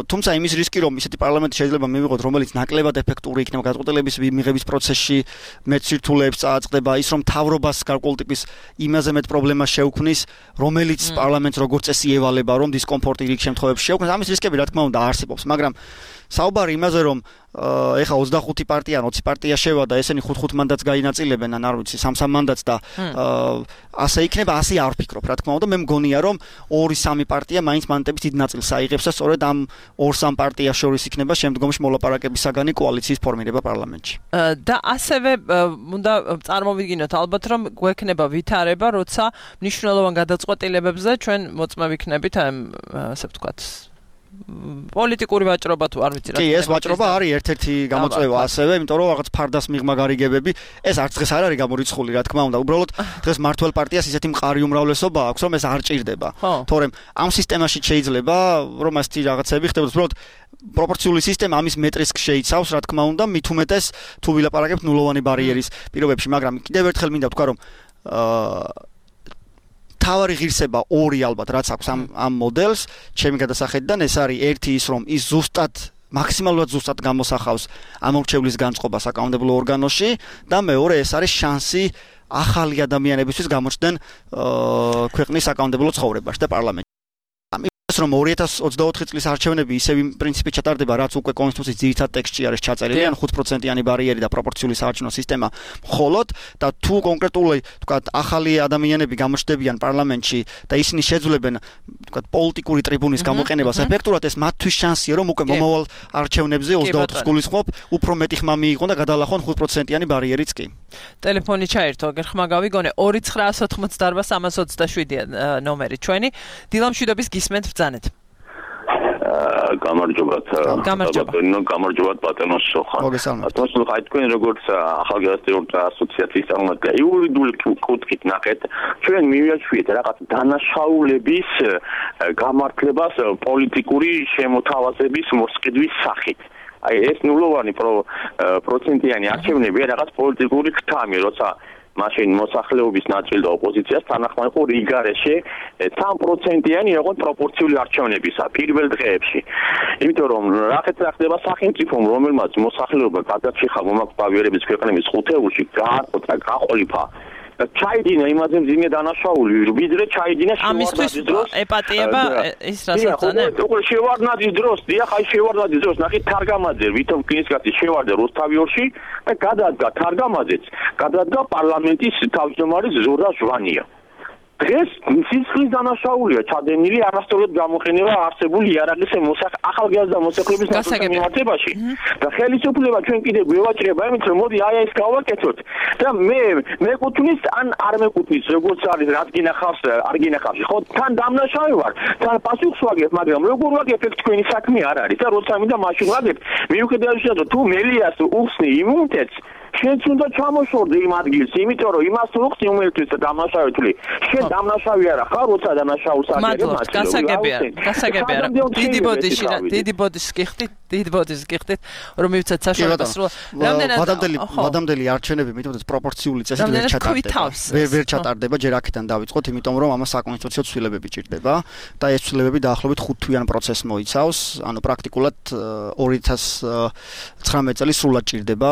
[SPEAKER 3] თუმცა იმის რისკი რომ ისეთი პარლამენტი შეიძლება მივიღოთ, რომელიც ნაკლებად ეფექტური იქნება გადაწყვეტილების მიღების პროცესში, მეტ სირთულეებს წააწყდება, ის რომ თავრობას გარკვეული ტიპის იმაზე მეტ პრობლემას შეუქმნის, რომელიც პარლამენტს როგორც წესი ევალება, რომ დისკომფორტი რიგ შემთხვევებში შეუქმნის, ამის რისკები რა თქმა უნდა არსებობს, მაგრამ საუბარი იმაზე რომ ეხა ოცდახუთი პარტია ან ოცი პარტია შევადა, ესენი ხუთ-ხუთ მანდატს გაინაწილებენ, ან არ ვიცი, სამ-სამ მანდატს და ასე იქნება, ასე არ ვფიქრობ, რა თქმა უნდა, მე მგონია რომ ორი-სამი პარტია მაინც მანდატების დიდ ნაწილს აიღებს და სწორედ ამ ორ-სამ პარტიას შორის იქნება შემდგომში მოლაპარაკების საგანი კოალიციის ფორმირება პარლამენტში.
[SPEAKER 2] და ასევე უნდა წარმოვიდგინოთ ალბათ რომ გვექნება ვითარება, როცა მნიშვნელოვან გადაწყვეტილებებზე ჩვენ მოწმე ვიქნებით, ასე ვთქვათ, პოლიტიკური ვაჭრობა თუ არ ვიცი რა.
[SPEAKER 3] კი, ეს ვაჭრობა არის ერთ-ერთი გამოწვევა ასევე, იმიტომ რომ რაღაც ფარდას მიღმა გარიგებები, ეს არც დღეს არ არის გამორიცხული, რა თქმა უნდა. უბრალოდ დღეს მართლ პარტიას ისეთი მყარი უმრავლესობა აქვს, რომ ეს არ ჭირდება. თორემ ამ სისტემაში შეიძლება რომ ასეთი რაღაცები ხდებოდეს, უბრალოდ პროპორციული სისტემა ამის მეტრისკს შეიცავს, რა თქმა უნდა, მით უმეტეს თუ ვილაპარაკებთ ნულოვანი ბარიერის პირობებში, მაგრამ კიდევ ერთხელ მინდა ვთქვა, რომ აა თავარი ღირსება ორი ალბათ რაც აქვს ამ ამ მოდელს, ჩემი გადასახედიდან ეს არის ერთი ის რომ ის ზუსტად მაქსიმალურად ზუსტად გამოსახავს ამორჩევლის განწყობა საკანონმდებლო ორგანოში და მეორე ეს არის შანსი ახალი ადამიანებისთვის გამოჩნდნენ ქვეყნის საკანონმდებლო ცხოვრებაში და პარლამენტში. რომ ორი ათას ოცდაოთხი წლის არჩევნები ისევ იმ პრინციპით ჩატარდება, რაც უკვე კონსტიტუციის ძირითად ტექსტში არის ჩაწერილი, ან ხუთ პროცენტიანი ბარიერი და პროპორციული საარჩევნო სისტემა მხოლოდ და თუ კონკრეტული, თქვათ, ახალი ადამიანები გამოჩნდებიან პარლამენტში და ისინი შეძლებენ, თქვათ, პოლიტიკური ტრიბუნის გამოყენებას ეფექტურად, ეს მათთვის შანსია, რომ უკვე მომავალ არჩევნებზე ოცდაოთხს გულისხმობ, უფრო მეტი ხმა მიიღონ და გადალახონ ხუთ პროცენტიანი ბარიერიც კი.
[SPEAKER 2] ტელეფონი ჩაერთო, აგერ ხმა გავიგონე ორი ცხრაას ოთხმოცდაარბა სამას ოცდაშვიდი ნომერი ჩვენი. დილამშვიდობის გისმენთ ბრძანეთ.
[SPEAKER 4] გამარჯობათ. ბატონო, გამარჯობათ ბატონო სოხა. ბატონო სოხა, თქვენ როგორც ახალგაზრდთა ასოციაციის წარმომადგენელი, იურიდიული კუთხით ნახეთ, ჩვენ მივიაჩვიეთ რაღაც დანაშაულების გამართლებას პოლიტიკური შემოთავაზების მოსყიდვის სახით. აი ეს ნულოვანი პროცენტიანი არჩევნები რაღაც პოლიტიკური ხთამი, როცა მაშინ მოსახლეობის ნაწილი და ოპოზიციას თანახმად იყო რიგარეში სამ პროცენტიანი იყო პროპორციული არჩევნებისა პირველ დღეებში. იმიტომ რომ რაღაც ხდება სახელმწიფომ, რომელმაც მოსახლეობა გადაჭიხა მომაკვდინების ქვეყნების ხუთეულში გააყოთა, გაყოლიფა ჩაიდინა იმაზე მძიმე დანაშაული, ვიდრე ჩაიდინა
[SPEAKER 2] შევარდნაძის დროს. ეპატიება ის რასაც անը.
[SPEAKER 4] უკვე შევარდნაძის დროს, დიახ, აი შევარდნაძის დროს, ნახეთ თარგამაძე, ვითომ კინისკაცი შევარდა რუსთავიორში და გადადგა თარგამაძეც, გადადგა პარლამენტის თავმჯდომარის ზურა ჟვანია. დღეს სისხლის დანაშაულია ჩადენილი არასწორად გამოყენება არსებული იარაღის ახალგაზრდა მოსახლეობის მიმართებაში და ხელისუფლება ჩვენ კიდე გვევაჭრება იმით რომ მოდი აი ეს გავაკეთოთ და მე მეკუთვნის ან არ მეკუთვნის როგორც არის რაც გინახავს არ გინახავს ხო თან დამნაშავე ვარ თან პასუხს ვაგებ მაგრამ როგორ ვაგებ ეს თქვენი საქმე არ არის და როცა მინდა მაშინ ვაგებ მიუხედავად რომ თუ მელიას უხსნი იმუნიტეტს შენც უნდა ჩამოშორდე იმ ადგილს, იმიტომ რომ იმას უხსნი უმელთვის და დამნაშავეთული. შენ დამნაშავე არა ხარ, როცა დამნაშაულს აგერებ
[SPEAKER 2] მადლობა, გასაგებია, გასაგებია. დიდი ბოდიში, დიდი ბოდიშს გიხდით, დიდი ბოდიშს გიხდით, რომ მივცეთ საშუალებას რომ რამდენად
[SPEAKER 3] ვადამდელი, ვადამდელი არჩევნები მithumetes პროპორციული წესით ვერ ჩატარდება. ვერ ვერ ჩატარდება, ჯერ აქედან დავიწყოთ, იმიტომ რომ ამას საკონსტიტუციო ცვლილებები ჭირდება და ეს ცვლილებები დაახლოებით ხუთთვიან პროცესს მოიცავს, ანუ პრაქტიკულად ორი ათას ცხრამეტი წელი სრულად ჭირდება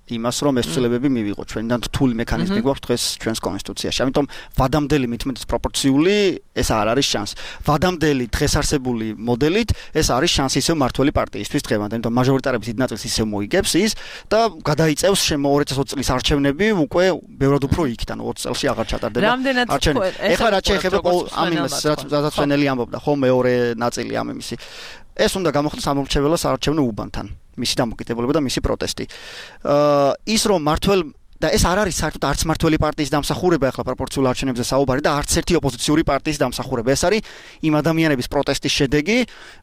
[SPEAKER 3] იმას, რომ ეს ცვლილებები მივიღოთ. ჩვენთან რთული მექანიზმი გვაქვს დღეს ჩვენს კონსტიტუციაში. ამიტომ ვადამდელი მithumetes პროპორციული ეს არ არის შანსი. ვადამდელი დღეს არსებული მოდელით ეს არის შანსი ისევ მართველი პარტიისთვის დღევანდელ, იმიტომ მაჟორიტარების დიდ ნაწილს ისევ მოიგებს ის და გადაიწევს შემო ორი ათი ოცი წლის არჩევნები უკვე ბევრად უფრო იქით, ანუ ოცი წელში აღარ ჩატარდება არჩევნები. ეხლა რაც შეეხება ამ იმას, რაც ჩვენელი ამბობდა, ხო მეორე ნაწილი ამ იმისი. ეს უნდა გამოხდეს სამომრჩეველო საარჩევნო უბანთან. მისი დამოკიდებულება და მისი პროტესტი. აა ის რომ მართველ და ეს არ არის საერთოდ არც მართველი პარტიის დამსახურება ახლა პროპორციულ არჩევნებზე საუბარი და არც ერთი ოპოზიციური პარტიის დამსახურება. ეს არის იმ ადამიანების პროტესტის შედეგი,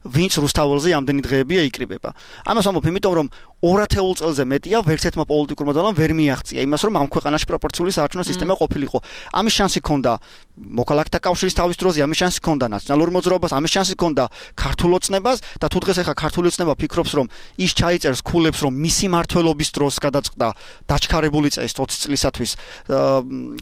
[SPEAKER 3] ვინც რუსთაველზე ამდენი დღეებია იკრიბება. ამას ვამბობ, იმიტომ რომ ორ ათეულ წელზე მეტია ვერც ერთმა პოლიტიკურმა ძალამ ვერ მიაღწია იმას, რომ ამ ქვეყანაში პროპორციული საარჩევნო სისტემა ყოფილიყო. ამის შანსი ჰქონდა მოქალაქეთა კავშირის თავის დროზე, ამის შანსი ჰქონდა ნაციონალურ მოძრაობას, ამის შანსი ჰქონდა ქართულ ოცნებას და თუ დღეს ახლა ქართული ოცნება ფიქრობს, რომ ის ჩაიწერს ქულებს, რომ მისი მართლობის დროს გადაწყდა დაჩქარებული წესით ოცი წლისათვის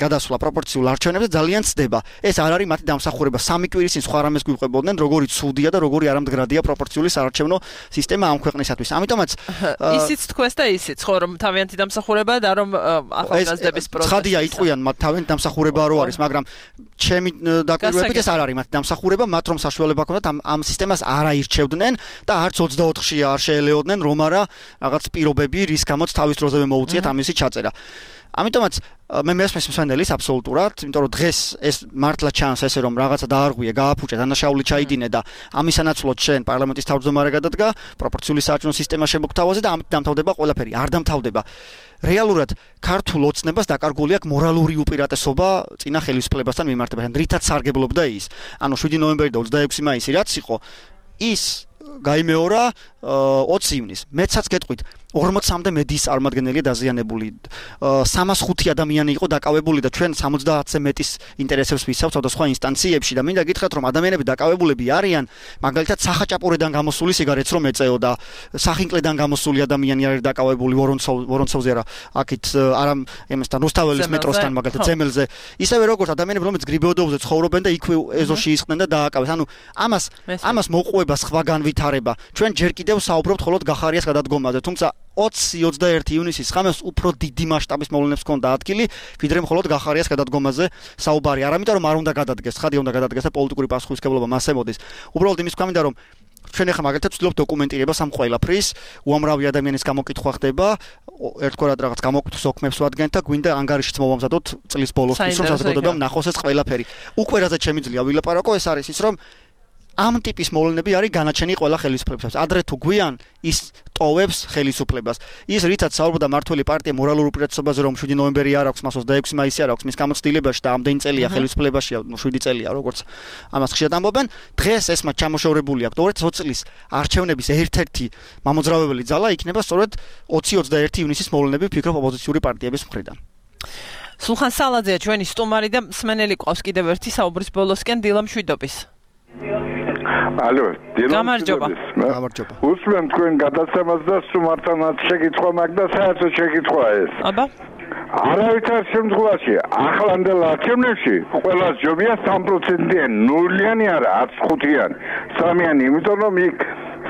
[SPEAKER 3] გადასვლა პროპორციულ არჩევნებზე ძალიან ცდება. ეს არ არის მათი დამსახურება. სამი კვირის წინ სხვა რამეს გვიყვებოდნენ, როგორი ცუდია და როგორი არამდგრადია პროპორციული საარჩევნო სისტემა ამ ქვეყნისათვის. ამიტომაც
[SPEAKER 2] ისიც თქვეს და ისიც, ხო, რომ თავიანთი დამსახურება და რომ ახალგაზრდების პროცესი.
[SPEAKER 3] ცხადია, იტყვიან მათ თავიანთი დამსახურება რო არის, მაგრამ ჩემი დაკვირვებით ეს არ არის მათი დამსახურება, მათ რომ საშუალება ჰქონდათ ამ ამ სისტემას არ აირჩევდნენ და არც ოცდაოთხში არ შეელეოდნენ, რომ არა რაღაც პირობები, რის გამოც თავის დროზევე მოუწიათ ამისი ჩაწერა. ამიტომაც მე მესმის მსვენელის აბსოლუტურად, იმიტომ რომ დღეს ეს მართლა ჩანს ესე რომ რაღაცა დაარღვია, გააფუჭა, დანაშაული ჩაიდინე და ამისანაცვლოდ შენ პარლამენტის თავმჯდომარე გადადგა, პროპორციული საარჩევნო სისტემა შემოგთავაზე და ამით დამთავრდება ყველაფერი, არ დამთავრდება. რეალურად ქართულ ოცნებას დაკარგული აქვს მორალური უპირატესობა წინა ხელისუფლებასთან მიმართებაში, რითაც სარგებლობდა ის. ანუ შვიდი ნოემბერი და ოცდაექვსი მაისი რაც იყო, ის გაიმეორა ოცი ივნისს. მეცაც გეტყვით ორმოცამდე მედიის წარმომადგენელია დაზიანებული. სამას ხუთი ადამიანი იყო დაკავებული და ჩვენ სამოცდაათზე მეტის ინტერესებს ვისავთ სხვადასხვა ინსტანციებში და მინდა გითხრათ რომ ადამიანები დაკავებულები არიან მაგალითად სახაჭაპურიდან გამოსული სიგარეტს რომ ეწეოდა, სახინკლედან გამოსული ადამიანი არის დაკავებული ვორონცოვზე არა, აქეთ არა ემესთან რუსთაველის მეტროსთან მაგალითად ზემელზე. ისევე როგორც ადამიანები რომელიც გრიბეოდოზე ცხოვრობენ და იქვე ეზოში ისხდნენ და დააკავეს. ანუ ამას ამას მოყვება სხვა განვითარება. ჩვენ ჯერ კიდევ საუბრობთ მხოლოდ გახარიას გადადგომაზე, თუმცა ოცი ოცდაერთი ივნისის ხამეს უფრო დიდი მასშტაბის მოვლენებს ჰქონდა ადგილი, ვიდრე მხოლოდ გახარიას გადადგომაზე საუბარი. არა იმიტომ რომ არ უნდა გადადგეს, ხადია უნდა გადადგეს და პოლიტიკური პასუხისმგებლობა მას ემოდის. უბრალოდ იმის თქვა მინდა რომ ჩვენ ახლა მაგალითად ვცდილობთ დოკუმენტირებას ამ ყველაფრის, უამრავი ადამიანის გამოკითხვა ხდება, ერთგვარად რაღაც გამოკითხვის ოქმებს ვადგენთ და გვინდა ანგარიშიც მოვამზადოთ წლის ბოლოსთვის, რომ საზოგადოებამ ნახოს ეს ყველაფერი. უკვე რაც შემიძლია ვილაპარაკო, ეს არის ის რომ ამ ტიპის მოვლენები არის განაჩენი ყველა ხელისუფლებისას. ადრე თუ გვიან ის ტოვებს ხელისუფლებას. ის რითაც საუბრობდა მართველი პარტია მორალურ უპირატესობაზე, რომ შვიდი ნოემბერი არ აქვს, მას ოცდაექვსი მაისი არ აქვს, მის გამოცდილებაში და ამდენი წელია ხელისუფლებაშია, ნუ შვიდი წელია, როგორც ამას ხშირად ამბობენ. დღეს ეს მათ ჩამოშორებული აქვს. ორი ათი ოცი წლის არჩევნების ერთ-ერთი მამოძრავებელი ძალა იქნება სწორედ ოცი ოცდაერთი ივნისის მოვლენები, ვფიქრობ ოპოზიციური პარტიების მხრიდან.
[SPEAKER 2] სულხან სალაძეა ჩვენი სტუმარი და მსმენელი ყავს კიდევ ერთი საუბრის ბოლოსკენ დილა მშვიდობის.
[SPEAKER 5] ალო,
[SPEAKER 2] გამარჯობა.
[SPEAKER 3] გამარჯობა.
[SPEAKER 5] უსმენ თქვენ გადაცემას და სუმართანაც შეკითხვა მაგ და საერთოდ შეკითხვა ეს.
[SPEAKER 2] აბა.
[SPEAKER 5] არავითარ შემთხვევაში ახლანდელ არჩევნებში ყველას ჯობია სამი პროცენტიანი, ნულიანი არა, არც ხუთიანი, სამიანი, იმიტომ რომ იქ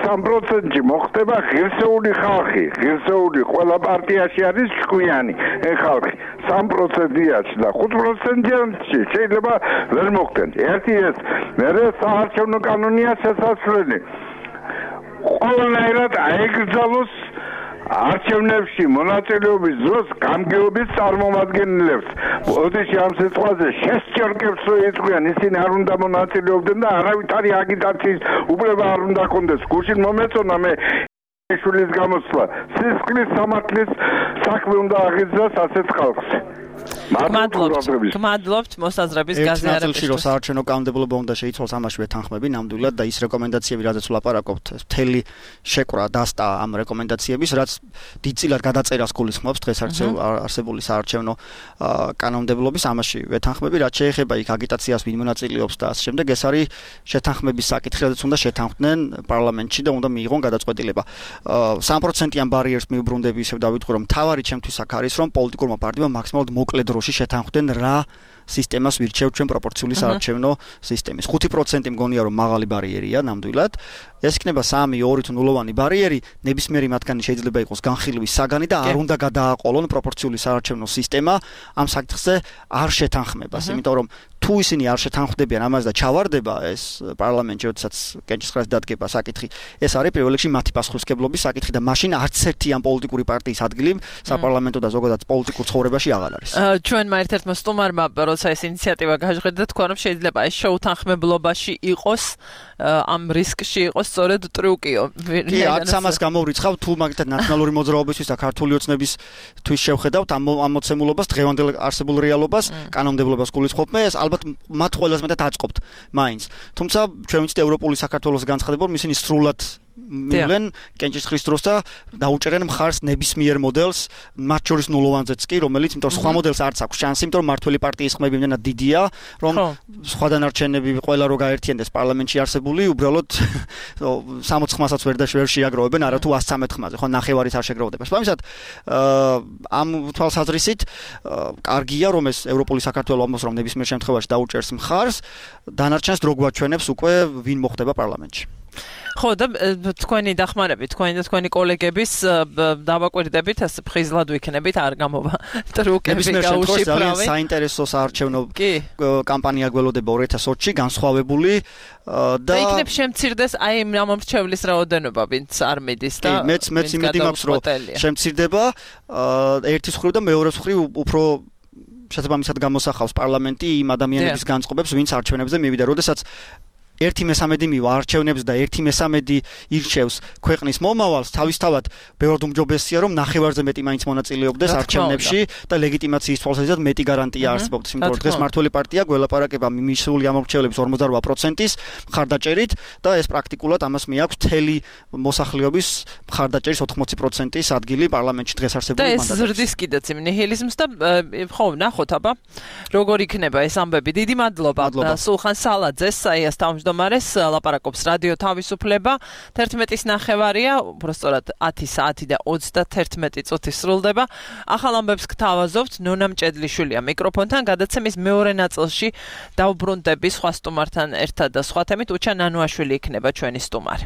[SPEAKER 5] სამი პროცენტი მოხდება ღირსეული ხალხი, ღირსეული ყველა პარტიაში არის ჭკვიანი ხალხი. სამი პროცენტიანში და ხუთი პროცენტიანში შეიძლება ვერ მოხდნენ. ერთი ეს, მერე საარჩევნო კანონია შესაძლებელი. ყველანაირად აეგრძალოს არჩევნებში მონაწილეობის დროს გამგეობის წარმომადგენლებს. ოდეში ამ სიტყვაზე შესჭერკებს რო იწვიან, ისინი არ უნდა მონაწილეობდნენ და არავითარი აგიტაციის უფლება არ უნდა ჰქონდეს. გუშინ მომეწონა მე შულის გამოსვლა. სისხლის სამართლის საქმე უნდა აღიძრას ასეთ ხალხს.
[SPEAKER 2] გმადლობთ, გმადლობთ მოსაზრების გაზიარებისთვის.
[SPEAKER 3] ერთ ნაწილში საარჩევნო კანონმდებლობა უნდა შეიცვალოს ამაში ვეთანხმები ნამდვილად და ის რეკომენდაციები, რაზეც ვლაპარაკობთ, მთელი შეკვრა დასტა ამ რეკომენდაციების, რაც დიდწილად გადაწერას გულისხმობს დღეს არსებული საარჩევნო კანონმდებლობის, ამაში ვეთანხმები, რაც შეეხება იქ აგიტაციას ვინ მონაწილეობს და ასე შემდეგ, ეს არის შეთანხმების საკითხი, რაზეც უნდა შეთანხმდნენ პარლამენტში და უნდა მიიღონ გადაწყვეტილება. სამი პროცენტიან ბარიერს მიუბრუნდები, ისევ დავიტყვი, რომ თავარი ჩემთვის აქ არის, რომ პოლიტიკურმა პარტიებმა მაქსიმალურად მოკლე დროში შეთანხმდნენ რა სისტემას ვირჩევთ ჩვენ პროპორციული საარჩევნო სისტემის. ხუთი პროცენტი მგონია რომ მაღალი ბარიერია ნამდვილად. ეს იქნება სამი, ორი თუ ნულოვანი ბარიერი, ნებისმიერი მათგანი შეიძლება იყოს განხილვის საგანი და არ უნდა გადააყოლონ პროპორციული საარჩევნო სისტემა ამ საკითხზე არ შეთანხმებას, იმიტომ რომ თუ ისინი არ შეთანხმდებიან ამაზე და ჩავარდება ეს პარლამენტში, როდესაც კენჭისყრას დადგება საკითხი, ეს არის პირველ რიგში მათი პასუხისმგებლობის საკითხი და მაშინ არც ერთი ამ პოლიტიკური პარტიის ადგილი საპარლამენტო და ზოგადად პოლიტიკურ ცხოვრებაში აღარ არის.
[SPEAKER 2] ჩვენმა ერთ-ერთმა სტუმარმა, როცა ეს ინიციატივა გაჟღერდა, თქვა რომ შეიძლება ეს შეუთანხმებლობაში იყოს, ამ რისკში იყოს სწორედ ტრიუკიო.
[SPEAKER 3] კი, არც ამას გამოვრიცხავ, თუ მაგალითად ნაციონალური მოძრაობისთვის და ქართული ოცნებისთვის შევხედავთ ამ ამოცემულობას, დღევანდელ არსებულ რეალობას, კანონმდებლობას გულისხმობ, ეს ალბათ მათ ყველას მეტად აწყობთ მაინც. თუმცა ჩვენ ვიცით ევროპული საქართველოს განცხადება, რომ ისინი სრულად მილენ კენჭისყრის დროს და დაუჭერენ მხარს ნებისმიერ მოდელს, მათ შორის ნულოვანზეც კი, რომელიც იმიტომ სხვა მოდელს არც აქვს შანსი, იმიტომ რომ მართველი პარტიის ხმები იმდენად დიდია, რომ სხვა დანარჩენები ყველა რო გაერთიანდეს პარლამენტში არსებული, უბრალოდ სამოცი ხმასაც ვერ და ვერ შეაგროვებენ, არა თუ ას ცამეტ ხმაზე, ხო ნახევარით არ შეგროვდება. შესაბამისად, ამ თვალსაზრისით კარგია, რომ ეს ევროპული საქართველო ამბობს, რომ ნებისმიერ შემთხვევაში დაუჭერს მხარს, დანარჩენს დრო გვაჩვენებს უკვე ვინ მოხდება პარლამენტში.
[SPEAKER 2] ხო და თქვენი დახმარებით, თქვენი და თქვენი კოლეგების დავაკვირდებით, ასე ფხიზლად ვიქნებით, არ გამოვა ტრიუკები გაუშიფრავი.
[SPEAKER 3] საინტერესო საარჩევნო კამპანია გველოდება ორი ათას ოცი განსხვავებული და
[SPEAKER 2] იქნებ შემცირდეს აი ამ მომრჩევლის რაოდენობა, ვინც არ მიდის და
[SPEAKER 3] მეც მეც იმედი მაქვს, რომ შემცირდება ერთის მხრივ და მეორეს მხრივ უფრო შესაბამისად გამოსახავს პარლამენტი იმ ადამიანების განწყობებს, ვინც არჩევნებზე მივიდა, როდესაც ერთი მესამედი მივა არჩევნებს და ერთი მესამედი ირჩევს ქვეყნის მომავალს, თავისთავად ბევრად უმჯობესია, რომ ნახევარზე მეტი მაინც მონაწილეობდეს არჩევნებში და ლეგიტიმაციის თვალსაზრისით მეტი გარანტია არსებობს. იმიტომ რომ დღეს მართველი პარტია გველაპარაკება მიმსული ამორჩევლების ორმოცდარვა პროცენტის მხარდაჭერით და ეს პრაქტიკულად ამას მიაქვს მთელი მოსახლეობის მხარდაჭერის ოთხმოცი პროცენტის ადგილი პარლამენტში დღეს არსებული მანდატებში.
[SPEAKER 2] და ეს ზრდის კიდეც იმ ნიჰილიზმს და ხო, ნახოთ აბა, როგორ იქნება ეს ამბები. დიდი მადლობა სულხან სალაძეს, საიას თავმჯდომარეს, ლაპარაკობს რადიო თავისუფლება. თერთმეტის ნახევარია, უბრალოდ ათი საათი და ოცდაათი წუთი სრულდება. ახალ ამბებს გთავაზობთ ნონა მჭედლიშვილია მიკროფონთან, გადაცემის მეორე ნაწილში დავბრუნდები სხვა სტუმართან ერთად და სხვა თემით. უჩა ნანუაშვილი იქნება ჩვენი სტუმარი.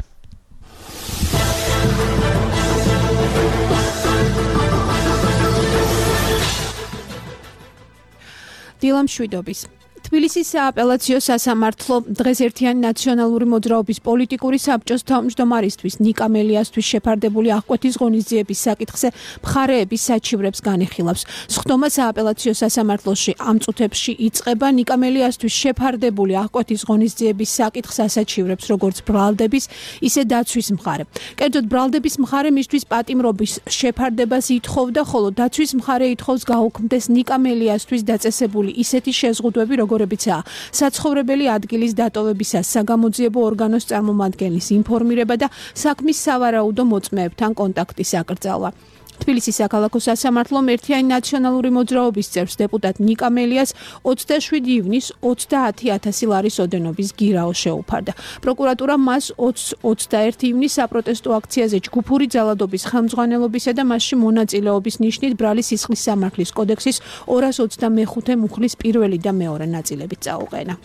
[SPEAKER 6] დილამშვიდობის. თბილისის სააპელაციო სასამართლო დღეს ერთიანი ნაციონალური მოძრაობის პოლიტიკური საბჭოს თავმჯდომარისთვის ნიკა მელიასთვის შეფარდებული აღკვეთის ღონისძიების საკითხზე მხარეების საჩივრებს განიხილავს. სხდომა სააპელაციო სასამართლოში ამ წუთებში იწყება. ნიკა მელიასთვის შეფარდებული აღკვეთის ღონისძიების საკითხს ასაჩივრებს როგორც ბრალდების, ისე დაცვის მხარე. კერძოდ ბრალდების მხარე მისთვის პატიმრობის შეფარდებას ითხოვდა, ხოლო დაცვის მხარე ითხოვს გაუქმდეს ნიკა მელიასთვის დაწესებული ისეთი შეზღუდვები, როგორებიცაა საცხოვრებელი ადგილის დატოვებისას საგამოძიებო ორგანოს წარმომადგენლის ინფორმირება და საქმის სავარაუდო მოწმეებთან კონტაქტის აკრძალვა. თბილისის საქალაქო სასამართლომ ერთიანი ნაციონალური მოძრაობის წევრს დეპუტატ ნიკა მელიას ოცდაშვიდი ივნის ოცდაათი ათასი ლარის ოდენობის გირაო შეუფარდა. პროკურატურა მას ოცდაერთი ივნის საპროტესტო აქციაზე ჯგუფური ძალადობის ხელმძღვანელობისა და მასში მონაწილეობის ნიშნით ბრალი სისხლის სამართლის კოდექსის ორას ოცდამეხუთე მუხლის პირველი და მეორე ნაწილებით წაუყენა.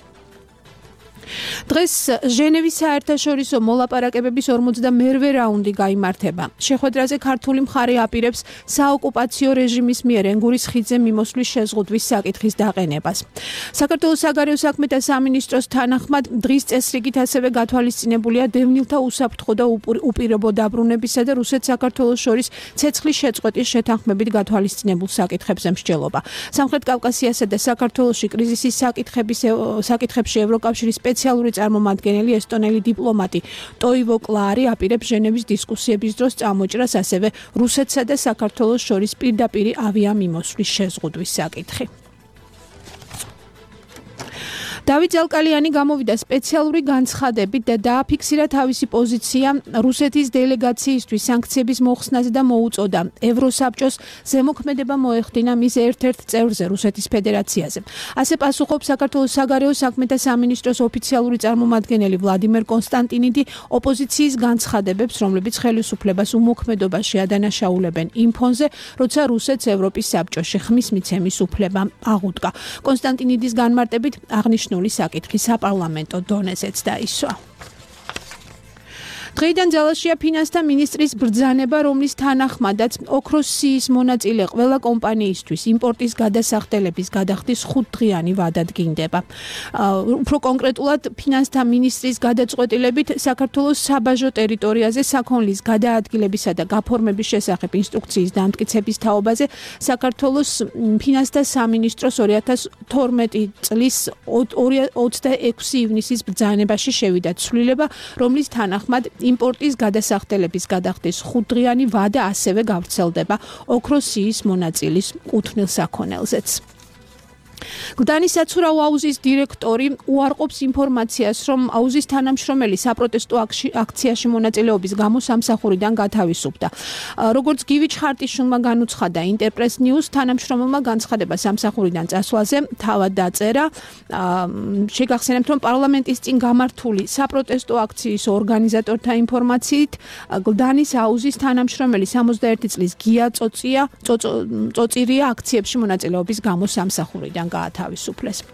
[SPEAKER 6] დღეს ჟენევის საერთაშორისო მოლაპარაკებების ორმოცდამერვე რაუნდი გაიმართება. შეხვედრაზე ქართული მხარე აპირებს საოკუპაციო რეჟიმის მიერ ენგურის ხიდზე მიმოსვლის შეზღუდვის საკითხის დაყენებას. საქართველოს საგარეო საქმეთა სამინისტროს თანახმად დღის წესრიგით ასევე გათვალისწინებულია დევნილთა უსაფრთხო და უპირობო დაბრუნებისა და რუსეთ-საქართველოს შორის ცეცხლის შეწყვეტის შეთანხმებით გათვალისწინებულ საკითხებზე მსჯელობა. სამხრეთ კავკასიასა და საქართველოში კრიზისის საკითხების საკითხებში ევროკავშირის სპეციალური წარმომადგენელი ესტონელი დიპლომატი ტოივო კლარი აპირებს ჟენევის დისკუსიების დროს წამოჭრას ასევე რუსეთსა და საქართველოს შორის პირდაპირი ავიამიმოსვლის შეზღუდვის საკითხი. დავით ზალკალიანი გამოვიდა სპეციალური განცხადებით და დააფიქსირა თავისი პოზიცია რუსეთის დელეგაციისთვის სანქციების მოხსნაზე და მოუწოდა ევროსაბჭოს ზემოქმედება მოეხდინა მის ერთ-ერთ წევრზე რუსეთის ფედერაციაზე. ასე პასუხობს საქართველოს საგარეო საქმეთა სამინისტროს ოფიციალური წარმომადგენელი ვლადიმერ კონსტანტინიდი ოპოზიციის განცხადებებს, რომლებიც ხელისუფლებას უმოქმედობაში ადანაშაულებენ იმ ფონზე, როცა რუსეთს ევროპის საბჭოში ხმის მიცემის უფლება აღუდგა. კონსტანტინიდის განმარტებით აღნიშნული საკითხი საპარლამენტო დონეზეც დაისვა. დღეიდან ძალაშია ფინანსთა მინისტრის ბრძანება, რომლის თანახმადაც ოქროს-სიის მონაწილე ყველა კომპანიისთვის იმპორტის გადასახდელების გადახდის ხუთდღიანი ვადა დგინდება. უფრო კონკრეტულად, ფინანსთა მინისტრის გადაწყვეტილებით საქართველოს საბაჟო ტერიტორიაზე საქონლის გადაადგილებისა და გაფორმების შესახებ ინსტრუქციის დამტკიცების თაობაზე საქართველოს ფინანსთა სამინისტროს ორი ათას თორმეტი წლის ოცდაექვსი ივნისის ბრძანებაში შევიდა ცვლილება, რომლის თანახმად იმპორტის გადასახდელების გადახდის ხუთდღიანი ვადა ასევე გავრცელდება ოქროს-სიის მონაწილის კუთვნილ საქონელზეც. გდანის საცურაო აუზის დირექტორი უარყოფს ინფორმაციას, რომ აუზის თანამშრომელი საპროტესტო აქციაში მონაწილეობის გამო სამსახურიდან გათავისუფლდა. როგორც გივი ჩხარტიშვილმა განუცხადა ინტერპრეს ნიუს, თანამშრომელმა განცხადება სამსახურიდან წასვლაზე თავად დაწერა. შეგახსენებთ, რომ პარლამენტის წინ გამართული საპროტესტო აქციის ორგანიზატორთა ინფორმაციით, გდანის აუზის თანამშრომელი სამოცდაერთი წლის გია წოწია, წოწირია აქციებში მონაწილეობის გამო სამსახურიდან გაათავისუფლეს.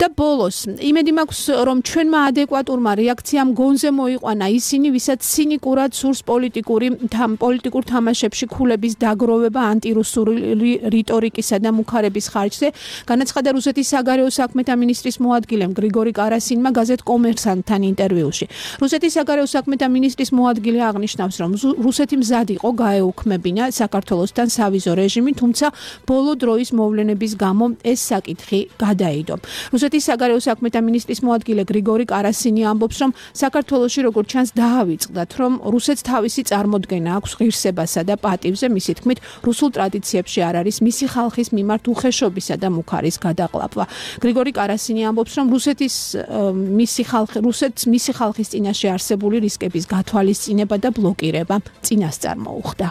[SPEAKER 6] და ბოლოს, იმედი მაქვს, რომ ჩვენმა ადეკვატურმა რეაქციამ გონზე მოიყვანა ისინი, ვისაც ცინიკურად სურს პოლიტიკური პოლიტიკურ თამაშებში ქულების დაგროვება ანტირუსული რიტორიკისა და მუქარების ხარჯზე, განაცხადა რუსეთის საგარეო საქმეთა მინისტრის მოადგილემ გრიგორი კარასინმა გაზეთ კომერსანტთან ინტერვიუში. რუსეთის საგარეო საქმეთა მინისტრის მოადგილე აღნიშნავს, რომ რუსეთი მზად იყო გაეუქმებინა საქართველოსთან სავიზო რეჟიმი, თუმცა ბოლო დროის მოვლენების გამო ეს საკითხი გადაიდო. რუსეთის საგარეო საქმეთა მინისტრის მოადგილე გრიგორი კარასინი ამბობს, რომ საქართველოში როგორც ჩანს დაავიწყდათ, რომ რუსეთს თავისი წარმოდგენა აქვს ღირსებასა და პატივზე, მისი თქმით, რუსულ ტრადიციებში არ არის მისი ხალხის მიმართ უხეშობისა და მუქარის გადაყლაპვა. გრიგორი კარასინი ამბობს, რომ რუსეთის მისი ხალხი, რუსეთს მისი ხალხის წინაშე არსებული რისკების გათვალისწინება და ბლოკირება წინასწარ მოუხდა.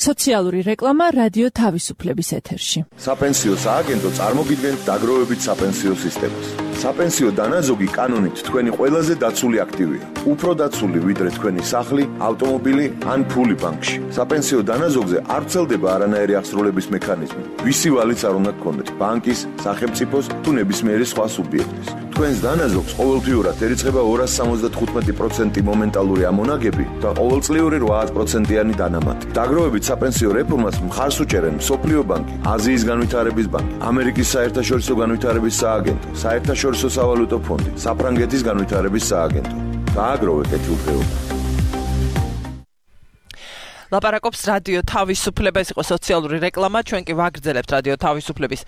[SPEAKER 2] სოციალური რეკლამა რადიო თავისუფლების ეთერში.
[SPEAKER 7] საპენსიო სააგენტო წარმოგიდგენთ დაგროვებით საპენსიო სისტემას. საპენსიო დანაზოგი კანონით თქვენი ყველაზე დაცული აქტივია. უფრო დაცული ვიდრე თქვენი სახლი, ავტომობილი ან ფული ბანკში. საპენსიო დანაზოგზე არ ვრცელდება არანაირი აღსრულების მექანიზმი. ვისი ვალიც არ უნდა გქონდეთ, ბანკის, სახელმწიფოს თუ ნებისმიერი სხვა სუბიექტის. თქვენს დანაზოგს ყოველთვიურად ერიცხება ორასი სამოცდათხუთმეტი პროცენტი მომენტალური ამონაგები და ყოველწლიური რვა პროცენტიანი დანამატი. დაგროვებით საპენსიო რეფორმას მხარს უჭერენ მსოფლიო ბანკი, აზიის განვითარების ბანკი, ამერიკის საერთაშორისო განვითარების სააგენტო, საერთაშორისო სავალუტო ფონდი, საფრანგეთის განვითარების სააგენტო. დააგროვეთ ეთილდღეობა.
[SPEAKER 2] ლაპარაკობს რადიო თავისუფლება, ეს იყო სოციალური რეკლამა, ჩვენ კი ვაგრძელებთ რადიო თავისუფლების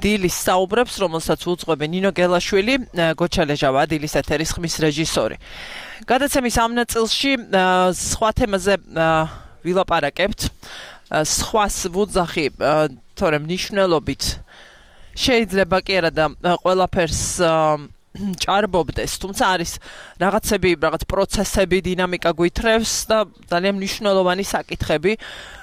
[SPEAKER 2] დილის საუბრებს, რომელსაც უძღვები ნინო გელაშვილი, გოჩა ლეჟავა, დილის ეთერის ხმის რეჟისორი. გადაცემის ამ ნაწილში სხვა თემაზე ვილაპარაკებთ, სხვას ვუძახი, თორემ მნიშვნელობით შეიძლება კი არა და ყველაფერს ჭარბობდეს, თუმცა არის რაღაცები, რაღაც პროცესები, დინამიკა გვითრევს და ძალიან მნიშვნელოვანი საკითხები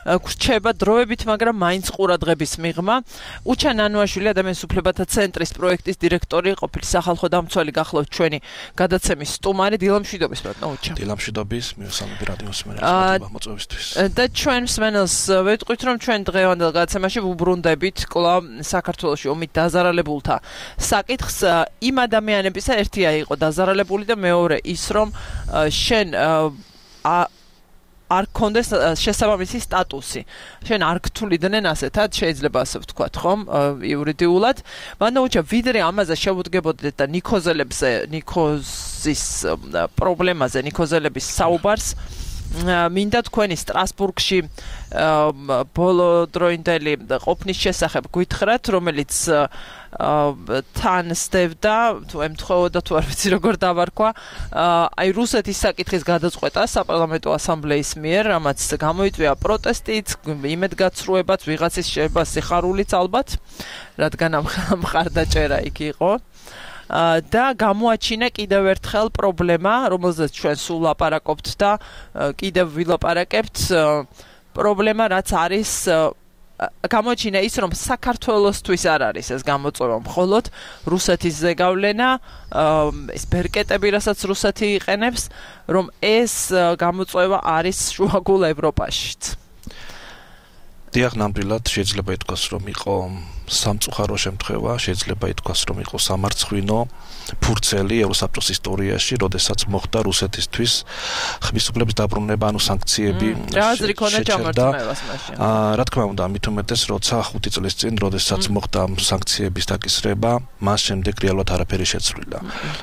[SPEAKER 2] გრჩება დროებით, მაგრამ მაინც ყურადღების მიღმა. უჩა ნანუაშვილი ადამიანის უფლებათა ცენტრის პროექტის დირექტორი, ყოფილი სახალხო დამცველი, გახლავთ ჩვენი გადაცემის სტუმარი. დილამშვიდობის, ბატონო უჩა.
[SPEAKER 8] დილამშვიდობის, მივესალმები რადიო მსმენელს მოწვევისთვის.
[SPEAKER 2] და ჩვენ მსმენელს ვეტყვით, რომ ჩვენ დღევანდელ გადაცემაში ვუბრუნდებით კვლავ საქართველოში ომით დაზარალებულთა საკითხს. იმ ადამიანებისა ერთია იყო დაზარალებული და მეორე ის, რომ შენ არ გქონდეს შესაბამისი სტატუსი. შენ არ გთვლიდნენ ასეთად, შეიძლება ასე ვთქვათ, ხომ, იურიდიულად. მაგრამ უჩა ვიდრე ამაზე შევუდგებოდეთ და ნიქოზელებზე, ნიქოზის პრობლემაზე, ნიქოზელების საუბარს მინდა თქვენი სტრასბურგში ბოლო დროინდელი ყოფნის შესახებ გითხრათ, რომელიც თან სდევდა, თუ ემთხოვოდა თუ არ ვიცი როგორ დავარქვა, აი რუსეთის საკითხის გადაწყვეტა საპარლამენტო ასამბლეის მიერ, რამაც გამოიწვია პროტესტიც, იმედგაცრუებაც, ვიღაცის შეიძლება სიხარულიც ალბათ, რადგან ამ მხარდაჭერა იქ იყო. და გამოაჩინა კიდევ ერთხელ პრობლემა, რომელზეც ჩვენ სულ ლაპარაკობთ და კიდევ ვილაპარაკებთ, პრობლემა რაც არის გამოჩინა ის, რომ საქართველოსთვის არ არის ეს გამოწვევა მხოლოდ რუსეთის ზეგავლენა, ეს ბერკეტები, რასაც რუსეთი იყენებს, რომ ეს გამოწვევა არის შუაგულ ევროპაშიც.
[SPEAKER 8] დიახ, ნამდვილად შეიძლება ითქვას, რომ იყო სამწუხარო შემთხვევა, შეიძლება ითქვას, რომ იყო სამარცხვინო ფურცელი ევროსაბჭოს ისტორიაში, როდესაც მოხდა რუსეთისთვის ხმის უფლების დაბრუნება, ანუ სანქციები.
[SPEAKER 2] რა აზრი ქონდა ჯამართმევას მაშინ?
[SPEAKER 8] აა, რა თქმა უნდა, მით უმეტეს, როცა ხუთი წლის წინ, როდესაც მოხდა სანქციების დაკისრება, მას შემდეგ რეალურად არაფერი შეცვლილა.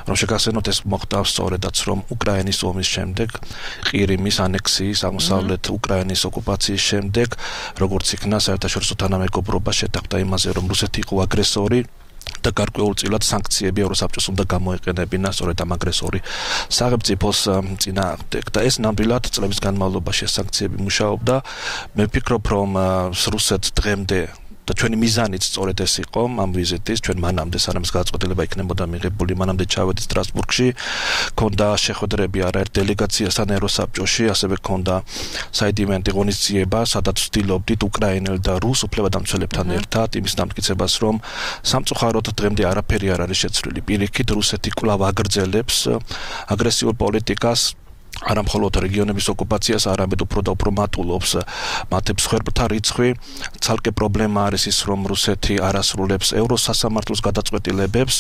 [SPEAKER 8] რომ შეგახსენოთ, ეს მოხდა სწორედაც, რომ უკრაინის ომის შემდეგ, ყირიმის ანექსიის, აღმოსავლეთ უკრაინის ოკუპაციის შემდეგ, როგორც იქნა საერთაშორისო თანამეგობრობა შეთანხმდა იმაზე, რომ რუსეთი იყო აგრესორი და გარკვეულწილად სანქციები ევროსაბჭოს უნდა გამოეყენებინა სწორედ ამ აგრესორი სახელმწიფოს წინააღმდეგ და ეს ნამდვილად წლების განმავლობაში ეს სანქციები მუშაობდა. მე ვფიქრობ, რომ რუსეთს დღემდე და ჩვენი მიზანიც სწორედ ეს იყო ამ ვიზიტის, ჩვენ მანამდე სანამ გადაწყვეტილება იქნებოდა მიღებული, მანამდე ჩავედით სტრასბურგში, ქონდა შეხვედრები არაერთ დელეგაციასთან ევროსაბჭოში, ასევე ქონდა საიდუმლო ღონისძიება, სადაც ვცდილობდით უკრაინელ და რუს უფლებადამცველებთან ერთად იმის დამტკიცებას, რომ სამწუხაროდ დღემდე არაფერი არ არის შეცვლილი. პირიქით, რუსეთი კვლავ აგრძელებს აგრესიულ პოლიტიკას, არა მხოლოდ რეგიონების ოკუპაციას, არამედ უფრო და უფრო მატულობს მათი მსხვერპლთა რიცხვი. ცალკე პრობლემა არის ის, რომ რუსეთი არ ასრულებს ევროსასამართლოს გადაწყვეტილებებს,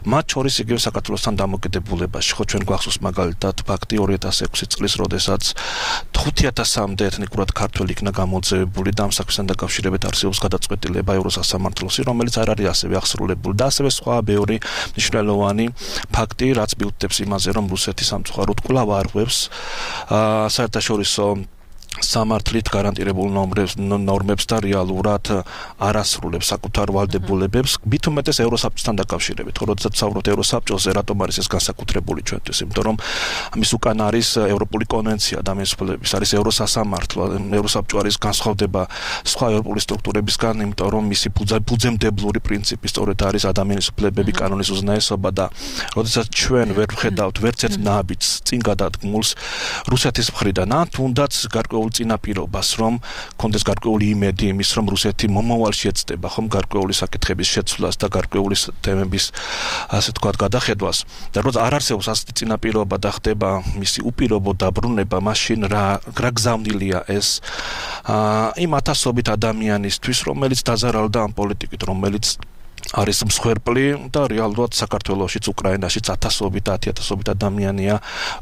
[SPEAKER 8] მათ შორის იგივე საქართველოსთან დამოკიდებულებაში. ხო, ჩვენ გვახსოვს მაგალითად ფაქტი ორი ათას ექვსი წლის, როდესაც ხუთი ათასამდე ეთნიკურად ქართველი იქნა გამოძევებული და ამ საქმესთან დაკავშირებით არსებობს გადაწყვეტილება ევროსასამართლოსი, რომელიც არ არის ასევე აღსრულებული და ასევე სხვა ბევრი მნიშვნელოვანი ფაქტი, რაც მიუთითებს იმაზე, რომ რუსეთი სამწუხაროდ კვლავ არღვევს საერთაშორისო სამართლით გარანტირებულ ნორმებს და რეალურად არ ასრულებს საკუთარ ვალდებულებებს, მით უმეტეს ევროსაბჭოსთან დაკავშირებით. ხო, როდესაც ვსაუბრობთ ევროსაბჭოზე, რატომ არის ეს განსაკუთრებული ჩვენთვის? იმიტომ რომ ამის უკან არის ევროპული კონვენცია ადამიანის უფლებების, არის ევროსასამართლო, ევროსაბჭო არის განსხვავდება სხვა ევროპული სტრუქტურებისგან, იმიტომ რომ მისი ფუძემდებლური პრინციპი სწორედ არის ადამიანის უფლებები, კანონის უზნაესობა და როდესაც ჩვენ ვერ ვხედავთ ვერც ერთ ნაბიჯს წინ გადადგმულს რუსეთის მხრიდან, ან თუნდაც გარკვეულ წინაპირობას, რომ კონდეს გარკვეული იმედი იმის, რომ რუსეთი მომავალში ეცდება ხომ გარკვეული საკითხების შეცვლას და გარკვეული თემების ასე თქვათ გადახედვას. და როცა არ არსებობს ასეთი წინაპირობა და ხდება მისი უპირობო დაბრუნება, მაშინ რა რა გზავნილია ეს იმ ათასობით ადამიანისთვის, რომელიც დაზარალდა ამ პოლიტიკით, რომელიც არის მსხვერპლი და რეალურად საქართველოშიც, უკრაინაშიც ათასობით, ათი ათასობით ადამიანია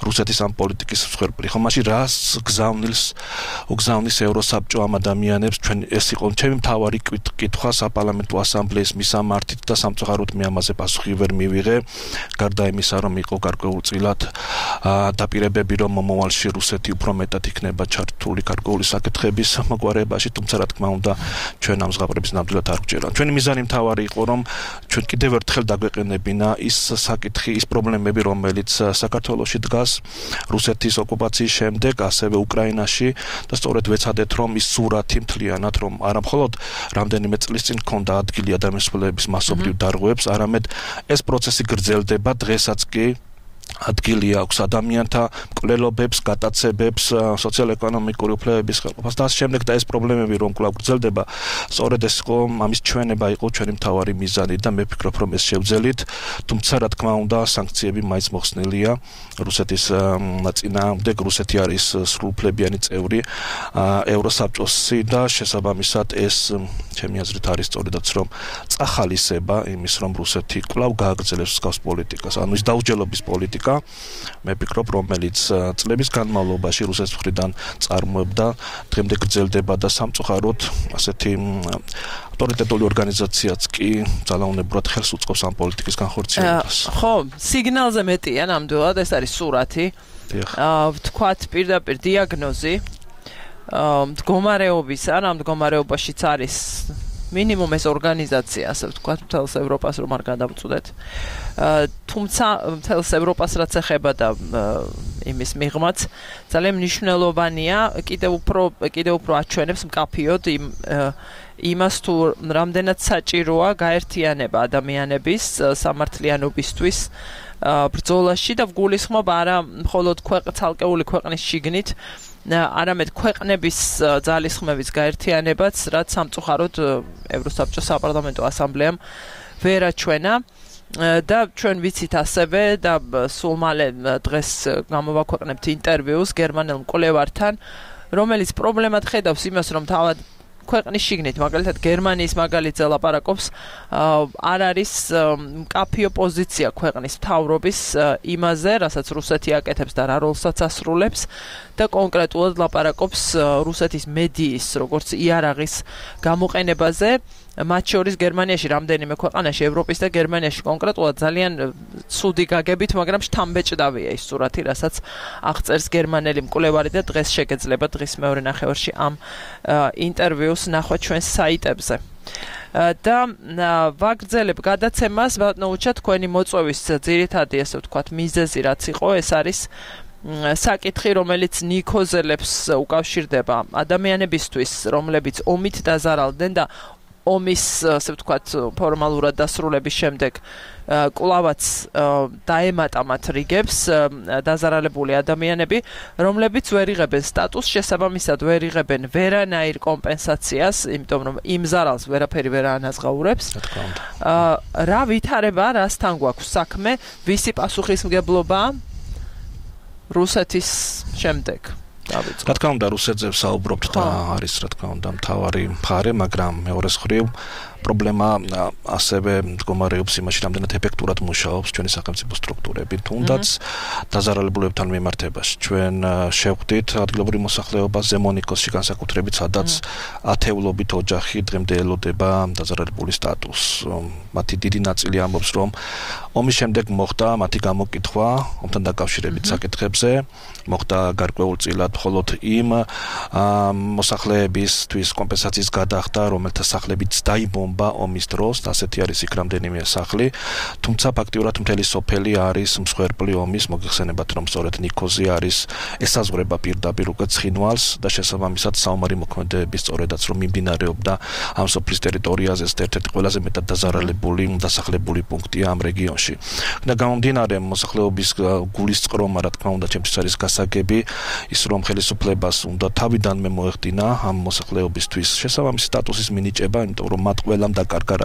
[SPEAKER 8] რუსეთის ამ პოლიტიკის მსხვერპლი. ხო, მაშინ რას გზავნილს უგზავნის ევროსაბჭო ამ ადამიანებს? ჩვენ ეს იყო ჩემი მთავარი კითხვა საპარლამენტო ასამბლეის მისამართით და სამწუხაროდ მე ამაზე პასუხი ვერ მივიღე, გარდა იმისა, რომ იყო გარკვეულწილად დაპირებები, რომ მომავალში რუსეთი უფრო მეტად იქნება ჩართული გარკვეული საკითხების მოგვარებაში, თუმცა რა თქმა უნდა, ჩვენ ამ ზღაპრების ნამდვილად არ გვჭირდა. ჩვენი მიზანი მთავარი იყო, რომ ჩვენ კიდევ ერთხელ დაგვეყენებინა ის საკითხი, ის პრობლემები, რომელიც საქართველოში დგას რუსეთის ოკუპაციის შემდეგ, ასევე უკრაინაში და სწორედ ვეცადეთ, რომ ის სურათი მთლიანად, რომ არა მხოლოდ რამდენიმე წლის წინ ჰქონდა ადგილი ადამიანის უფლებების მასობრივ დარღვევებს, არამედ ეს პროცესი გრძელდება დღესაც კი ადგილი აქვს ადამიანთა მკვლელობებს, გატაცებებს, სოციალ-ეკონომიკური უფლებების ხელყოფას და ამ შემდეგ და ეს პრობლემები რომ კვლავ გრძელდება, სწორედ ეს იყო ამის ჩვენება იყო ჩვენი მთავარი მიზანი და მე ვფიქრობ, რომ ეს შევძელით, თუმცა რა თქმა უნდა, სანქციები მაინც მოხსნილია რუსეთის წინააღმდეგ. რუსეთი არის სრულუფლებიანი წევრი ევროსაბჭოსი და შესაბამისად ეს ჩემი აზრით არის სწორედაც რომ წახალისება იმის, რომ რუსეთი კვლავ გააგრძელებს მსგავს პოლიტიკას, ანუ ის დაუჯელობის პოლიტიკას პოპულისტკა მე ვფიქრობ რომელიც წლების განმავლობაში რუსეთის მხრიდან წარმოებდა დღემდე გრძელდება და სამწუხაროდ ასეთი ავტორიტეტული ორგანიზაციაც კი ძალაუნებურად ხელს უწყობს ამ პოლიტიკის განხორციელებას.
[SPEAKER 2] ხო, სიგნალზე მეტია ნამდვილად ეს არის სურათი. აა ვთქვათ პირდაპირ დიაგნოზი აა მდგომარეობის ან ამ მდგომარეობაშიც არის მინიმუმ ეს ორგანიზაცია, ასე ვთქვათ, მთელს ევროპას რომ არ გადავწუდეთ. აა თუმცა მთელს ევროპას რაც ეხება და იმის მიღმაც ძალიან მნიშვნელოვანია, კიდევ უფრო კიდევ უფრო აჩვენებს მკაფიოდ იმ იმას თუ რამდენად საჭიროა გაერთიანება ადამიანების სამართლიანობისთვის ბრძოლაში და ვგულისხმობ არა მხოლოდ ცალკეული ქვეყნის შიგნით არამედ ქვეყნების ძალისხმევის გაერთიანებაც, რაც სამწუხაროდ ევროსაბჭოს საპარლამენტო ასამბლეამ ვერ აჩვენა და ჩვენ ვიცით ასევე და სულ მალე დღეს გამოვაქვეყნებთ ინტერვიუს გერმანელ მკვლევართან, რომელიც პრობლემად ხედავს იმას, რომ თავად ქვეყნის შიგნით, მაგალითად გერმანიის მაგალითზე ლაპარაკობს, არ არის მკაფიო პოზიცია ქვეყნის მთავრობის იმაზე, რასაც რუსეთი აკეთებს და რა როლსაც ასრულებს და კონკრეტულად ლაპარაკობს რუსეთის მედიის, როგორც იარაღის გამოყენებაზე, მათ შორის გერმანიაში რამდენიმე ქვეყანაში, ევროპის და გერმანიაში კონკრეტულად ძალიან ცუდი გაგებით, მაგრამ შთამბეჭდავია ის სურათი, რასაც აღწერს გერმანელი მკვლევარი და დღეს შეგეძლება დღის მეორე ნახევარში ამ ინტერვიუს ნახვა ჩვენს საიტებზე. და ვაგრძელებ გადაცემას, ბატონო, თქვენი მოწვევის ძირითადი, ასე ვთქვათ, მიზეზი რაც იყო, ეს არის საკითხი, რომელიც ნიქოზელებს უკავშირდება ადამიანებისთვის, რომლებიც ომით დაზარალდნენ და ომის, ასე ვთქვათ, ფორმალურად დასრულების შემდეგ კვლავაც დაემატა მათ რიგებს დაზარალებული ადამიანები, რომლებიც ვერ იღებენ სტატუსს, შესაბამისად ვერ იღებენ ვერანაირ კომპენსაციას, იმიტომ რომ იმ ზარალს ვერაფერი ვერ ანაზღაურებს. რა ვითარება, რასთან გვაქვს საქმე, ვისი პასუხისმგებლობა რუსეთის შემდეგ?
[SPEAKER 8] რა თქმა უნდა, რუსეთზე ვსაუბრობთ და არის რა თქმა უნდა მთავარი მხარე, მაგრამ მეორე მხრივ პრობლემა ასევე მდგომარეობს იმაში, რამდენად ეფექტურად მუშაობს ჩვენი სახელმწიფო სტრუქტურები, თუნდაც დაზარალებულებთან მიმართებაში. ჩვენ შევხვდით ადგილობრივ მოსახლეობას ზემონიკოსში განსაკუთრებით, სადაც ათეულობით ოჯახი დღემდე ელოდება დაზარალებული სტატუსს. მათი დიდი ნაწილი ამბობს, რომ ომის შემდეგ მოხდა მათი გამოკითხვა ომთან დაკავშირებით საკითხებზე, მოხდა გარკვეულწილად მხოლოდ იმ მოსახლეებისთვის კომპენსაციის გადახდა, რომელთა სახლებიც დაიბომბა ომის დროს, ასეთი არის იქ რამდენიმე სახლი, თუმცა ფაქტიურად მთელი სოფელი არის მსხვერპლი ომის, მოგეხსენებათ, რომ სწორედ ნიქოზი არის ესაზღვრება პირდაპირ უკვე ცხინვალს და შესაბამისად საომარი მოქმედებების სწორედაც რომ მიმდინარეობდა ამ სოფლის ტერიტორიაზე, ეს ერთ-ერთი ყველაზე მეტად დაზარალებული დასახლებული პუნქტია ამ რეგიონში. და გამომდინარე მოსახლეობის გულისწყრომა, რა თქმა უნდა, ჩემთვის არის გასაგები ის, რომ ხელისუფლებას უნდა თავიდანვე მოეხდინა ამ მოსახლეობისთვის შესაბამისი სტატუსის მინიჭება, იმიტომ რომ მათ ყველამ დაკარგა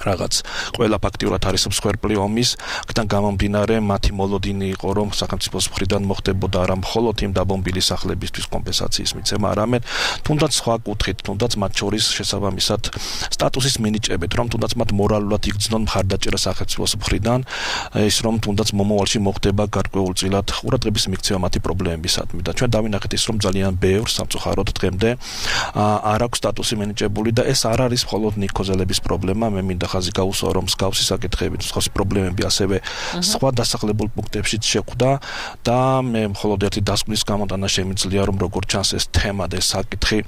[SPEAKER 8] რაღაც ყველა ფაქტიურად არის მსხვერპლი ომის, აქედან გამომდინარე მათი მოლოდინი იყო, რომ სახელმწიფოს მხრიდან მოხდებოდა არა მხოლოდ იმ დაბომბილი სახლებისთვის კომპენსაციის მიცემა, არამედ თუნდაც სხვა კუთხით, თუნდაც მათ შორის შესაბამისად სტატუსის მინიჭებით, რომ თუნდაც მათ მორალურად იგრძნონ მხარდაჭერა სახელმწიფოს მხრიდან, ის რომ თუნდაც მომავალში მოხდება გარკვეულწილად ყურადღების მიქცევა მათი პრობლემებისადმი და ჩვენ დავინახეთ ის, რომ ძალიან ბევრ სამწუხაროდ დღემდე არ აქვს სტატუსი მინიჭებული და ეს არ არის მხოლოდ ნიქოზელების პრობლემა, მე მინდა ხაზი გაუსვა, რომ მსგავსი საკითხები, მსგავსი პრობლემები ასევე სხვა დასახლებულ პუნქტებშიც შეხვდა და მე მხოლოდ ერთი დასკვნის გამოტანა შემიძლია, რომ როგორც ჩანს ეს თემა და ეს საკითხი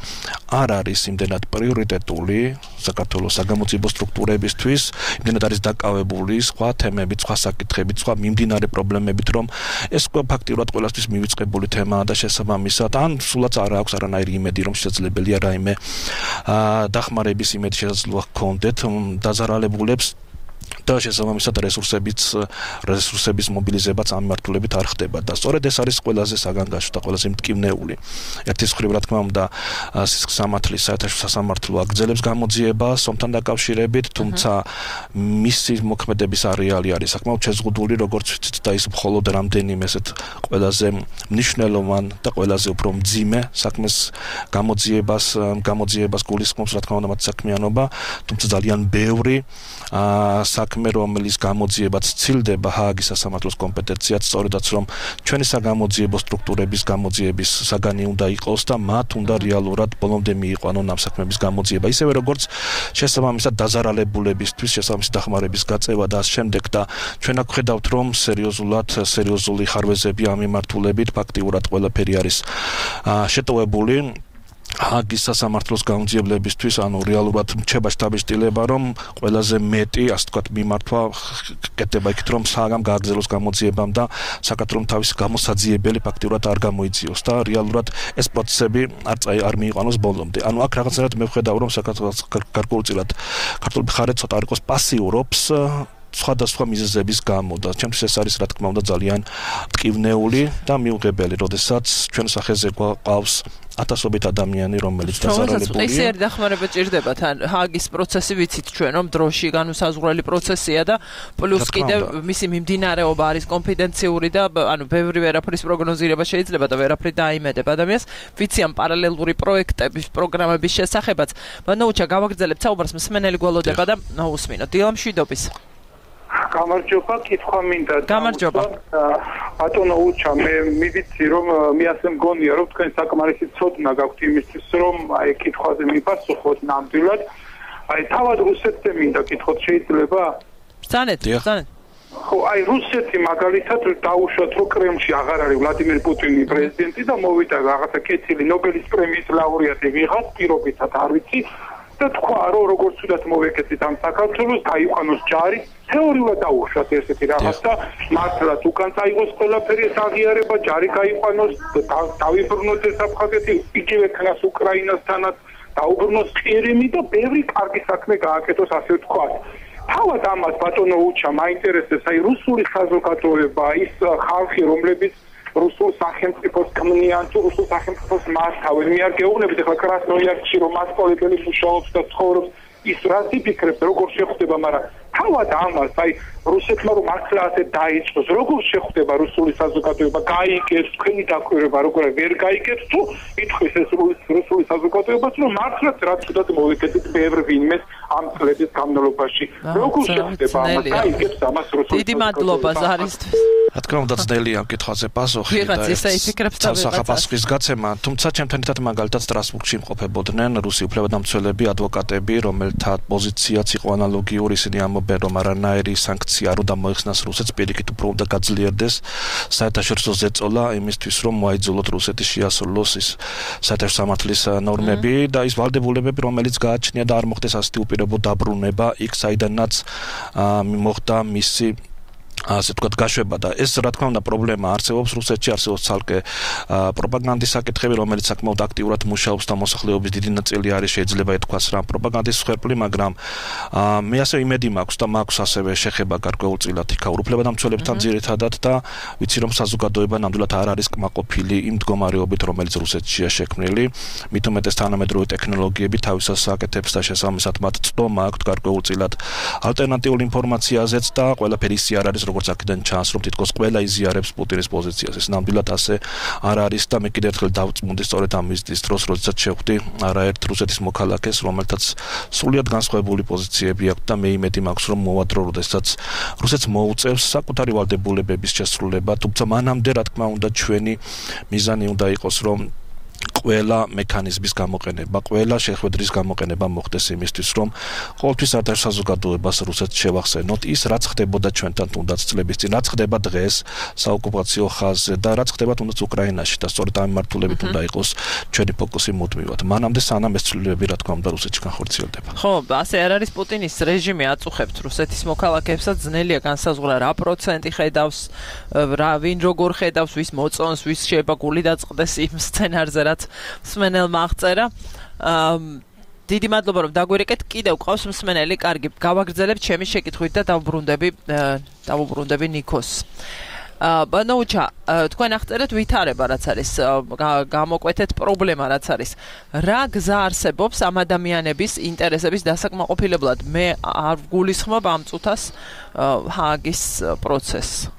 [SPEAKER 8] არ არის იმდენად პრიორიტეტული საქართველოს საგამოძიებო სტრუქტურებისთვის, იმდენად არის დაკავებული სხვა თემებით, სხვა საკითხებით, სხვა მიმდინარე პრობლემებით, რომ ეს ფაქტიურად ყველასთვის მივიწყებული თემაა და შესაბამისად ან სულაც არ აქვს არანაირი იმედი, რომ შესაძლებელია რაიმე დახმარების იმედი შესაძლოა ჰქონდეთ დაზარალებულებს და შესაბამისად რესურსებიც რესურსების მობილიზებაც ამ მიმართულებით არ ხდება და სწორედ ეს არის ყველაზე საგანგაშო და ყველაზე მტკივნეული. ერთის მხრივ რა თქმა უნდა სამართლის საერთაშორისო სასამართლო აგრძელებს გამოძიებას ომთან დაკავშირებით, თუმცა მისი მოქმედების არეალი არის საკმაოდ შეზღუდული, როგორც ვიცით და ის მხოლოდ რამდენიმე ესეთ ყველაზე მნიშვნელოვან და ყველაზე უფრო მძიმე საქმეს გამოძიებას გამოძიებას გულისხმობს რა თქმა უნდა მათ საქმიანობა, თუმცა ძალიან ბევრი საქმე, რომელიც გამოძიებაც ცილდება ჰააგის სასამართლოს კომპეტენციად, სწორედაც რომ ჩვენი საგამოძიებო სტრუქტურების გამოძიების საგანი უნდა იყოს და მათ უნდა რეალურად ბოლომდე მიიყვანონ ამ საქმეების გამოძიება. ისევე როგორც შესაბამისად დაზარალებულებისთვის შესაბამისი დახმარების გაწევა და ამ შემდეგ და ჩვენ აქ ხედავთ რომ სერიოზულად სერიოზული ხარვეზები ამ მიმართულებით ფაქტიურად ყველაფერი არის შეტოვებული ჰააგის სასამართლოს გამოძიებლებისთვის, ანუ რეალურად რჩება შთაბეჭდილება, რომ ყველაზე მეტი, ასე ვთქვათ, მიმართვა კეთდება იქით, რომ საგამ გააგრძელოს გამოძიებამ და საქართველოს თავის გამოსაძიებელი ფაქტიურად არ გამოიძიოს და რეალურად ეს პროცესები არ წაი არ მიიყვანოს ბოლომდე. ანუ აქ რაღაცნაირად მე ვხედავ, რომ საქართველოს გარკვეულწილად ქართული მხარე ცოტა არ იყოს პასიურობს სხვადასხვა მიზეზების გამო და ჩემთვის ეს არის რა თქმა უნდა ძალიან მტკივნეული და მიუღებელი, როდესაც ჩვენ სახეზე გვყავს ათასობით ადამიანი, რომელიც დაზარალებულია.
[SPEAKER 2] ეს ერთ დახმარება ჭირდება თან ჰააგის პროცესი ვიცით ჩვენ რომ დროში განუსაზღვრელი პროცესია და პლუს კიდევ მისი მიმდინარეობა არის კონფიდენციური და ანუ ბევრი ვერაფრის პროგნოზირება შეიძლება და ვერაფრი დაიმედება ადამიანს. ვიცი ამ პარალელური პროექტების პროგრამების შესახებაც. ბანოუჩა გავაგრძელებთ საუბარს მსმენელი გველოდება და უსმინოთ. დილა მშვიდობის.
[SPEAKER 9] გამარჯობა, კითხვა მინდა.
[SPEAKER 2] გამარჯობა.
[SPEAKER 9] ბატონო უჩა, მე მივიცი რომ მე ასე მგონია რომ თქვენ საკმარისი ცოდნა გაქვთ იმისთვის რომ აი კითხვაზე მიპასუხოთ ნამდვილად. აი თავად რუსეთზე მინდა კითხოთ შეიძლება?
[SPEAKER 2] ბრძანეთ, ბრძანეთ.
[SPEAKER 9] ხო, აი რუსეთი მაგალითად დაუშვათ რომ კრემლში აღარ არის ვლადიმერ პუტინი პრეზიდენტი და მოვიდა რაღაცა კეთილი ნობელის პრემიის ლაურეატი ვიღაც პირობითად არ ვიცი. და თქვა რომ როგორც ვთქვათ მოვეკეთეთ ამ საქართველოს გაიყვანოს ჯარი თეორიულად დაუშვათ ესეთი რაღაც და მართლაც უკან წაიღოს ყველაფერი ეს აღიარება ჯარი გაიყვანოს დავიბრუნოთ ეს აფხაზეთი იგივე ქნას უკრაინასთანაც დაუბრუნოს ყირიმი და ბევრი კარგი საქმე გააკეთოს ასე ვთქვათ. თავად ამას ბატონო უჩა მაინტერესებს აი რუსული საზოგადოება ის ხალხი რომლებიც რუსულ სახელმწიფოს ქმნიან თუ რუსულ სახელმწიფოს მართავენ. მე არ გეუბნებით ახლა კრასნოიარსკში რომ მასწავლებელი მუშაობს და ცხოვრობს ის რაც იფიქრებს როგორ შეხვდება, მაგრამ თავად ამას აი რუსეთმა რომ ახლა ასე დაიწყოს, როგორ შეხვდება რუსული საზოგადოება, გაიგებს თქვენი დაკვირვება, როგორ ვერ გაიგებს თუ ითქვის ეს რუსული საზოგადოებაც რომ მართლაც რაც თუდად მოვეკეთეთ ბევრ ვინმეს ამ წლების განმავლობაში. როგორ შეხვდება ამას, გაიგებს ამას რუსული.
[SPEAKER 2] დიდი მადლობა ზარისთვის.
[SPEAKER 8] რა თქმა უნდა ძნელია ამ კითხვაზე პასუხი და საფასურის გაცემა, თუმცა ჩემთან ერთად მაგალითად სტრასბურგში იმყოფებოდნენ რუსი უფლებადამცველები, ადვოკატები, რომელთა პოზიციაც იყო ანალოგიური, ისინი ამბობენ რომ არანაირი სანქცია არ უნდა მოიხსნას რუსეთს, პირიქით უფრო უნდა გაძლიერდეს საერთაშორისო ზეწოლა იმისთვის რომ მოაიძულოთ რუსეთი შეასრულოს ის საერთაშორისო სამართლის ნორმები და ის ვალდებულებები რომელიც გააჩნია და არ მოხდეს ასეთი უპირობო დაბრუნება იქ საიდანაც მოხდა მისი ასე ვთქვათ გაშვება და ეს რა თქმა უნდა პრობლემა არსებობს რუსეთში, არსებობს ცალკე პროპაგანდის საკითხები, რომელიც საკმაოდ აქტიურად მუშაობს და მოსახლეობის დიდი ნაწილი არის შეიძლება ითქვას რა პროპაგანდის მსხვერპლი, მაგრამ მე ასე იმედი მაქვს და მაქვს ასევე შეხება გარკვეულწილად იქაურ უფლებადამცველებთან ძირითადად და ვიცი რომ საზოგადოება ნამდვილად არ არის კმაყოფილი იმ მდგომარეობით, რომელიც რუსეთშია შექმნილი, მით უმეტეს თანამედროვე ტექნოლოგიები თავისას აკეთებს და შესაბამისად მათ წდომა აქვთ გარკვეულწილად ალტერნატიული ინფორმაციაზეც და ყველაფერი ისე არ არის როგორც აქედან ჩანს რომ თითქოს ყველა იზიარებს პუტინის პოზიციას. ეს ნამდვილად ასე არ არის და მე კიდევ ერთხელ დავწმუნდი სწორედ ამ ვიზიტის დროს, როდესაც შევხვდი არაერთ რუსეთის მოქალაქეს, რომელთაც სრულიად განსხვავებული პოზიციები აქვს და მე იმედი მაქვს რომ მოვადრო, როდესაც რუსეთს მოუწევს საკუთარი ვალდებულებების შესრულება, თუმცა მანამდე რა თქმა უნდა ჩვენი მიზანი უნდა იყოს რომ ყველა მექანიზმის გამოყენება, ყველა შეხვედრის გამოყენება მოხდეს იმისთვის, რომ ყოველთვის საერთაშორისო საზოგადოებას რუსეთს შევახსენოთ ის, რაც ხდებოდა ჩვენთან თუნდაც წლების წინ, რაც ხდება დღეს საოკუპაციო ხაზზე და რაც ხდება თუნდაც უკრაინაში და სწორედ ამ მიმართულებით უნდა იყოს ჩვენი ფოკუსი მუდმივად. მანამდე სანამ ეს ცვლილებები რა თქმა უნდა რუსეთში განხორციელდება.
[SPEAKER 2] ხო, ასე არ არის პუტინის რეჟიმი აწუხებთ რუსეთის მოქალაქეებსაც, ძნელია განსაზღვრა რა პროცენტი ხედავს, რა ვინ როგორ ხედავს, ვის მოწონს, ვის შეიძლება გული დაწყდეს იმ სცენარზე, რაც მსმენელმა აღწერა. დიდი მადლობა რომ დაგვირეკეთ. კიდევ ყავს მსმენელი, კარგი, გავაგრძელებთ ჩემი შეკითხვით და დავუბრუნდები დავუბრუნდები ნიკოს. ბანოუჩა, თქვენ აღწერეთ ვითარება რაც არის, გამოკვეთეთ პრობლემა რაც არის. რა გზა არსებობს ამ ადამიანების ინტერესების დასაკმაყოფილებლად? მე არ გულისხმობ ამ წუთას ჰააგის პროცესს.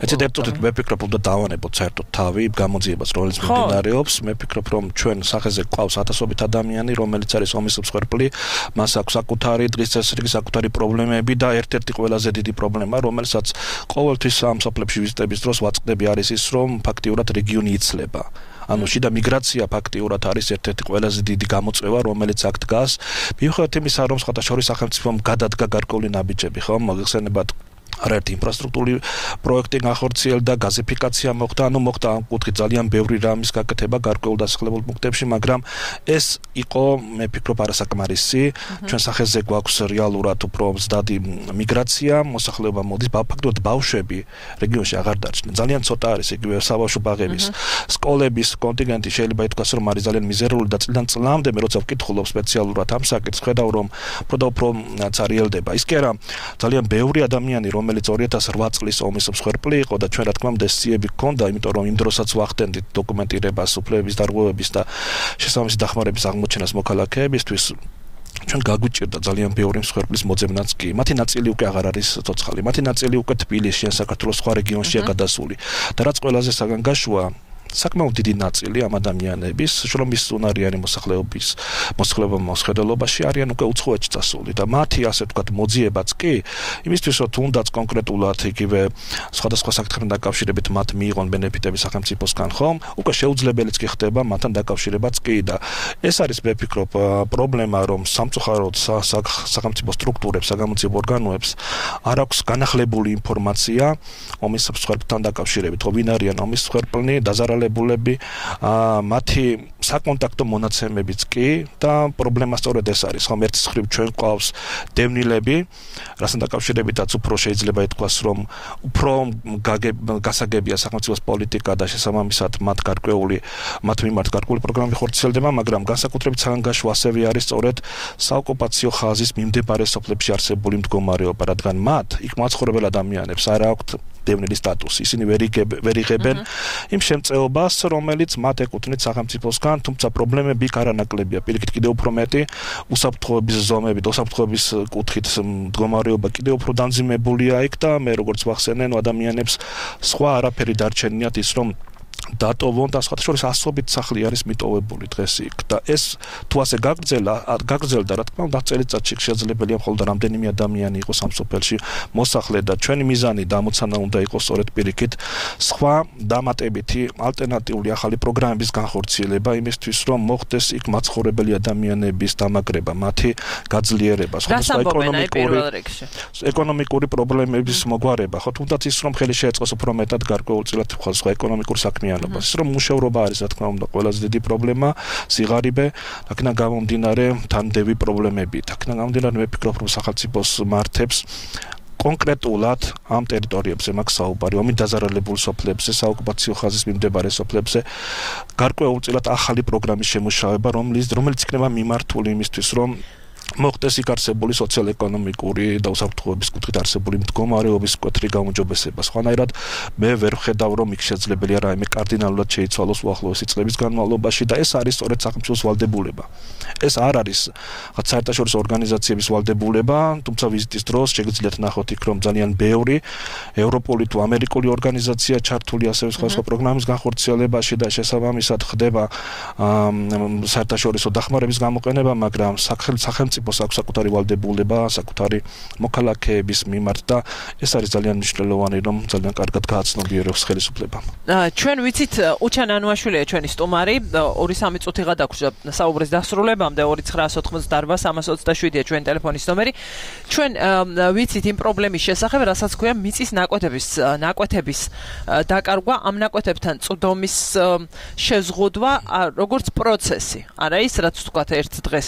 [SPEAKER 8] ეცეთ ერთობით მე ვფიქრობ, რომ დავანებოთ საერთოდ თავი გამოძიებას, რომელიც მიმდინარეობს. მე ვფიქრობ, რომ ჩვენ სახეზე გვყავს ათასობით ადამიანი, რომელიც არის ომის მსხვერპლი, მას აქვს საკუთარი დღის წესრიგი, საკუთარი პრობლემები და ერთ-ერთი ყველაზე დიდი პრობლემა, რომელსაც ყოველთვის ამ სოფლებში ვიზიტების დროს ვაწყდები, არის ის, რომ ფაქტიურად რეგიონი იცლება. ანუ შიდა მიგრაცია ფაქტიურად არის ერთ-ერთი ყველაზე დიდი გამოწვევა, რომელიც აქ დგას. მიუხედავად იმისა, რომ სხვათა შორის სახელმწიფომ გადადგა გარკვეული ნაბიჯები, ხო, მოგხსენებათ არაერთი ინფრასტრუქტურული პროექტი განხორციელდა, გაზიფიკაცია მოხდა, ანუ მოხდა ამ კუთხით ძალიან ბევრი რამის გაკეთება გარკვეულ დასახლებულ პუნქტებში, მაგრამ ეს იყო, მე ვფიქრობ, არასაკმარისი. ჩვენ სახეზე გვაქვს რეალურად უფრო მზდადი მიგრაცია, მოსახლეობა მოდის, ფაქტობრივად ბავშვები რეგიონში აღარ დარჩნენ. ძალიან ცოტა არის იგივე საბავშვო ბაღების, სკოლების კონტინგენტი შეიძლება ითქვას, რომ არის ძალიან მიზერული და წლიდან წლამდე, მე როცა ვკითხულობ სპეციალურად ამ საკითხს, ხედავ, რომ უფრო და უფრო წარიელდება. ის კი არა, ძალიან ბევრი ადამიანი რომელიც ორი ათას ოთხ წლის ომის მსხვერპლი იყო და ჩვენ რა თქმა უნდა სიები გქონდა, იმიტომ რომ იმ დროსაც ვახდენდით დოკუმენტირებას, უფლებების დარღვევების და შესაბამისი დახმარების აღმოჩენას მოქალაქეებისთვის. ჩვენ გაგვიჭირდა ძალიან ბევრი მსხვერპლის მოძებნაც კი. მათი ნაწილი უკვე აღარ არის ცოცხალი. მათი ნაწილი უკვე თბილისში ან საქართველოს სხვა რეგიონშია გადასული. და რაც ყველაზე საგანგაშოა, საკმაოდ დიდი ნაწილი ამ ადამიანების შრომის უნარიანი მოსახლეობის მოსახლეობა მოსხედელობაში არიან უკვე უცხოეთში წასული და მათი ასე ვთქვათ მოძიებაც კი იმისთვის რომ თუნდაც კონკრეტულად იგივე სხვადასხვა საკითხებთან დაკავშირებით მათ მიიღონ ბენეფიტები სახელმწიფოსგან ხომ უკვე შეუძლებელიც კი ხდება მათთან დაკავშირებაც კი და ეს არის მე ვფიქრობ პრობლემა რომ სამწუხაროდ სახელმწიფო სტრუქტურებს საგამოძიებო ორგანოებს არ აქვს განახლებული ინფორმაცია ომის მსხვერპლთან დაკავშირებით ხო ვინ არიან ომის მსხვერპლნი დაზარალებული ბულები მათი საკონტაქტო მონაცემებიც კი და პრობლემა სწორედ ეს არის ხომ ერთის მხრივ ჩვენ ყავს დევნილები რასთან დაკავშირებითაც უფრო შეიძლება ითქვას რომ უფრო გასაგებია სახელმწიფოს პოლიტიკა და შესაბამისად მათ გარკვეული მათ მიმართ გარკვეული პროგრამები ხორციელდება მაგრამ განსაკუთრებით საგანგაშო ასევე არის სწორედ საოკუპაციო ხაზის მიმდებარე სოფლებში არსებული მდგომარეობა რადგან მათ იქ მაცხოვრებელ ადამიანებს არ აქვთ დევნილის სტატუსი ისინი ვერ იღებენ იმ შემწეობას რომელიც მათ ეკუთვნით სახელმწიფოსგან თუმცა პრობლემები იქ არანაკლებია პირიქით კიდევ უფრო მეტი უსაფრთხოების ზომები და უსაფრთხოების კუთხით მდგომარეობა კიდევ უფრო დამძიმებულია იქ და მე როგორც ვახსენე ადამიანებს სხვა არაფერი დარჩენიათ ის რომ დატოვონ და სხვა შორის ასობით სახლი არის მიტოვებული დღეს იქ და ეს თუ ასე გაგრძელა გაგრძელდა რა თქმა უნდა წელიწადში შესაძლებელია მხოლოდ რამდენიმე ადამიანი იყოს ამ სოფელში მოსახლე და ჩვენი მიზანი და ამოცანა უნდა იყოს სწორედ პირიქით სხვა დამატებითი ალტერნატიული ახალი პროგრამების განხორციელება იმისთვის რომ მოხდეს იქ მაცხოვრებელი ადამიანების დამაგრება მათი გაძლიერება
[SPEAKER 2] სხვა ეკონომიკური
[SPEAKER 8] ეკონომიკური პრობლემების მოგვარება ხო თუნდაც ის რომ ხელი შეეწყოს უფრო მეტად გარკვეულწილად სხვა ეკონომიკური საქმე ის რომ მუშაობა არის რა თქმა უნდა ყველაზე დიდი პრობლემა სიღარიბე აქედან გამომდინარე თანდევი პრობლემები აქედან გამომდინარე მე ვფიქრობ რომ სახელმწიფოს მართებს კონკრეტულად ამ ტერიტორიებზე მაქვს საუბარი ომით დაზარალებულ სოფლებზე საოკუპაციო ხაზის მიმდებარე სოფლებზე გარკვეულწილად ახალი პროგრამის შემუშავება რომელიც რომელიც იქნება მიმართული იმისთვის რომ მოხდეს იქ არსებული სოციალ-ეკონომიკური და უსაფრთხოების კუთხით არსებული მდგომარეობის მკვეთრი გაუმჯობესება. სხვანაირად მე ვერ ვხედავ რომ იქ შესაძლებელია რაიმე კარდინალურად შეიცვალოს უახლოესი წლების განმავლობაში და ეს არის სწორედ სახელმწიფოს ვალდებულება. ეს არ არის რაღაც საერთაშორისო ორგანიზაციების ვალდებულება, თუმცა ვიზიტის დროს შეგიძლიათ ნახოთ იქ რომ ძალიან ბევრი ევროპული თუ ამერიკული ორგანიზაცია ჩართული ასევე სხვა სხვა პროგრამის განხორციელებაში და შესაბამისად ხდება საერთაშორისო დახმარების გამოყენება, მაგრამ სახელმწიფო აქვს საკუთარი ვალდებულება, საკუთარი მოქალაქეების მიმართ და ეს არის ძალიან მნიშვნელოვანი, რომ ძალიან კარგად გააცნობიერებს ხელისუფლებამ.
[SPEAKER 2] ჩვენ ვიცით, უჩან ანუაშვილია ჩვენი სტუმარი, ორი სამი წუთი გადაგვრჩა საუბრის დასრულებამდე, ორი ცხრაას ოთხმოცდაარბა სამას ოცდაშვიდია ჩვენი ტელეფონის ნომერი. ჩვენ ვიცით იმ პრობლემის შესახებ, რასაც ქვია მიწის ნაკვეთების ნაკვეთების დაკარგვა, ამ ნაკვეთებთან წვდომის შეზღუდვა, როგორც პროცესი. არა ის, რაც თქვათ ერთ დღეს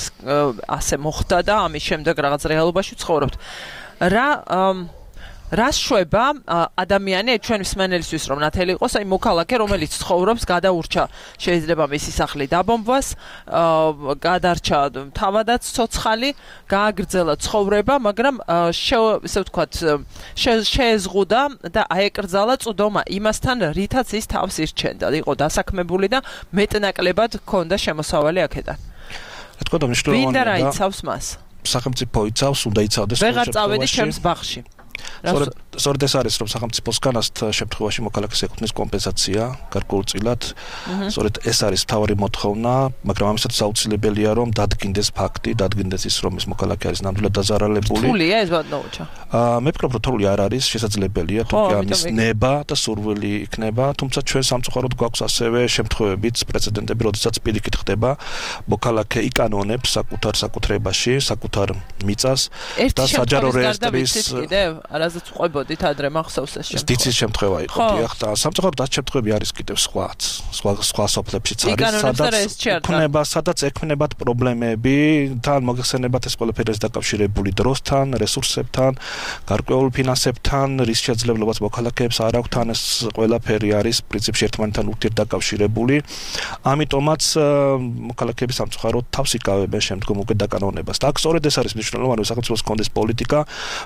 [SPEAKER 2] ასე მოხდა და ამის შემდეგ რაღაც რეალობაში ცხოვრობთ. რა რას შვება ადამიანი ჩვენ მსმენელისთვის რომ ნათელი იყოს, აი მოქალაქე რომელიც ცხოვრობს, გადაურჩა შეიძლება მისი სახლი დაბომბვას, გადარჩა თავადაც ცოცხალი, გააგრძელა ცხოვრება, მაგრამ ესე ვთქვათ, შეეზღუდა და აეკრძალა წვდომა იმასთან, რითაც ის თავს ირჩენდა. იყო დასაქმებული და მეტნაკლებად ჰქონდა შემოსავალი აქედან.
[SPEAKER 8] რა თქმა უნდა მნიშვნელოვანია და
[SPEAKER 2] ვინ და რა იცავს მას?
[SPEAKER 8] სახელმწიფო იცავს, უნდა იცავდეს
[SPEAKER 2] ვეღარ წავედი ჩემს ბაღში.
[SPEAKER 8] სწორედ სწორედ ეს არის რომ სახელმწიფოსგან ასეთ შემთხვევაში მოქალაქეს ეკუთვნის კომპენსაცია გარკვეულწილად სწორედ ეს არის მთავარი მოთხოვნა მაგრამ ამასაც აუცილებელია რომ დადგინდეს ფაქტი დადგინდეს ის რომ ეს მოქალაქე არის ნამდვილად დაზარალებული
[SPEAKER 2] რთულია ეს ბატონოჩა
[SPEAKER 8] აა მე ვფიქრობ რომ რთული არ არის შესაძლებელია თუკი ამის ნება და სურვილი იქნება თუმცა ჩვენ სამწუხაროდ გვაქვს ასევე შემთხვევებიც პრეცედენტები როდესაც პირიქით ხდება მოქალაქე იკანონებს საკუთარ საკუთრებაში საკუთარ მიწას და საჯარო რეესტრის
[SPEAKER 2] არაზეც ყვებოდით ადრე მახსოვს ეს შემთხვევა.
[SPEAKER 8] დიცის შემთხვევა იყო, დიახ, და სამწუხაროდ ეს შემთხვევები არის კიდევ სხვაც, სხვა სხვა სოფლებშიც არის, სადაც ექნება, სადაც ექნებათ პრობლემები, თან მოგეხსენებათ ეს ყველაფერი არის დაკავშირებული დროსთან, რესურსებთან, გარკვეულ ფინანსებთან, რის შეძლებლობას მოქალაქეებს არ აქვს, თან ეს ყველაფერი არის პრინციპში ერთმანეთთან ურთიერთდაკავშირებული. ამიტომაც მოქალაქეები სამწუხაროდ თავს იკავებენ შემდგომ უკვე დაკანონებას. და აქ სწორედ ეს არის მნიშვნელოვანი, რომ სახელმწიფოს კონდეს პოლიტიკა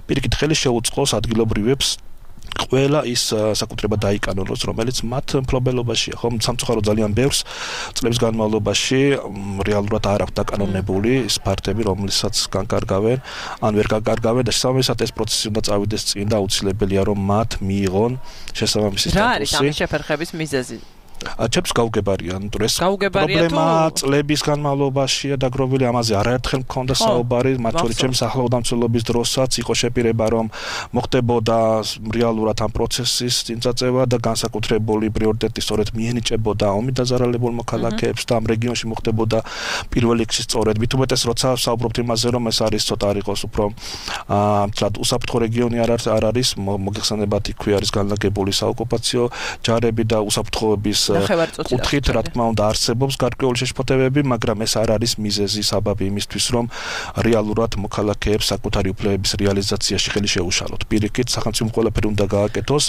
[SPEAKER 8] პირიქით ხელი შეუწყოს ადგილობრივებს ყველა ის საკუთრება დაიკანონოს, რომელიც მათ მფლობელობაშია. ხომ სამწუხაროდ ძალიან ბევრს წლების განმავლობაში რეალურად არ აქვს დაკანონებული ის ფაქტები, რომელსაც განკარგავენ, ან ვერ განკარგავენ და შესაბამისად ეს პროცესი უნდა წავიდეს წინ და აუცილებელია რომ მათ მიიღონ შესაბამისი სტატუსი.
[SPEAKER 2] რა არის ამის შეფერხების მიზეზი?
[SPEAKER 8] ჩემს გაუგებარია, ანუ ეს პრობლემა წლების განმავლობაშია დაგროვილი, ამაზე არაერთხელ მქონდა საუბარი, მათ შორის ჩემს ახლოვდამცველობის დროსაც იყო შეპირება, რომ მოხდებოდა რეალურად ამ პროცესის წინწაწევა და განსაკუთრებული პრიორიტეტი სწორედ მიენიჭებოდა ომით დაზარალებულ მოქალაქეებს და ამ რეგიონში მოხდებოდა პირველ რიგში სწორედ მით უმეტეს როცა საუბრობთ იმაზე, რომ ეს არის ცოტა არ იყოს უფრო აა უსაფრთხო რეგიონი არ არის, მოგეხსენებათ იქვე არის განლაგებული საოკუპაციო ჯარები და უსაფრთხოების კუთხით რა თქმა უნდა არსებობს გარკვეული შეშფოთებები, მაგრამ ეს არ არის მიზეზი საბაბი იმისთვის, რომ რეალურად მოქალაქეებს საკუთარი უფლებების რეალიზაციაში ხელი შეუშალოთ. პირიქით, სახელმწიფომ ყველაფერი უნდა გააკეთოს,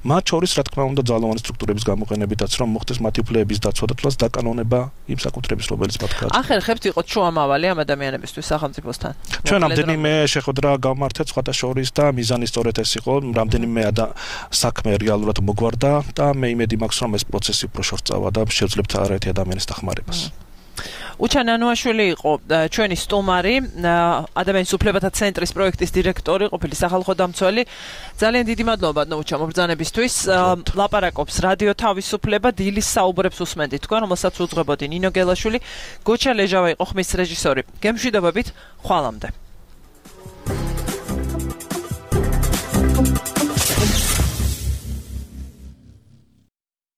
[SPEAKER 8] მათ შორის რა თქმა უნდა ძალოვანი სტრუქტურების გამოყენებითაც, რომ მოხდეს მათი უფლებების დაცვა და თლაც დაკანონება იმ საკუთრების, რომელიც მათ გააჩნიათ.
[SPEAKER 2] ახერხებთ იყო შუამავალი ამ ადამიანებისთვის სახელმწიფოსთან.
[SPEAKER 8] ჩვენ რამდენიმე შეხვედრა გავმართეთ სხვათა შორის და მიზანი სწორედ ეს იყო, რამდენიმე საქმე რეალურად მოგვარდა და მე იმედი მაქვს, რომ ეს პროცესი უფრო შორწავა და შევძლებთ არაერთი ადამიანის დახმარებას.
[SPEAKER 2] უჩან ანუაშვილი იყო ჩვენი სტუმარი, ადამიანის უფლებათა ცენტრის პროექტის დირექტორი, ყოფილი სახალხო დამცველი. ძალიან დიდი მადლობა უჩა მობრძანებისთვის. ლაპარაკობს რადიო თავისუფლება, დილის საუბრებს უსმენთ თქვენ, რომელსაც უძღვებოდი ნინო გელაშვილი, გოჩა ლეჟავა იყო ხმის რეჟისორი. გემშვიდობებით, ხვალამდე.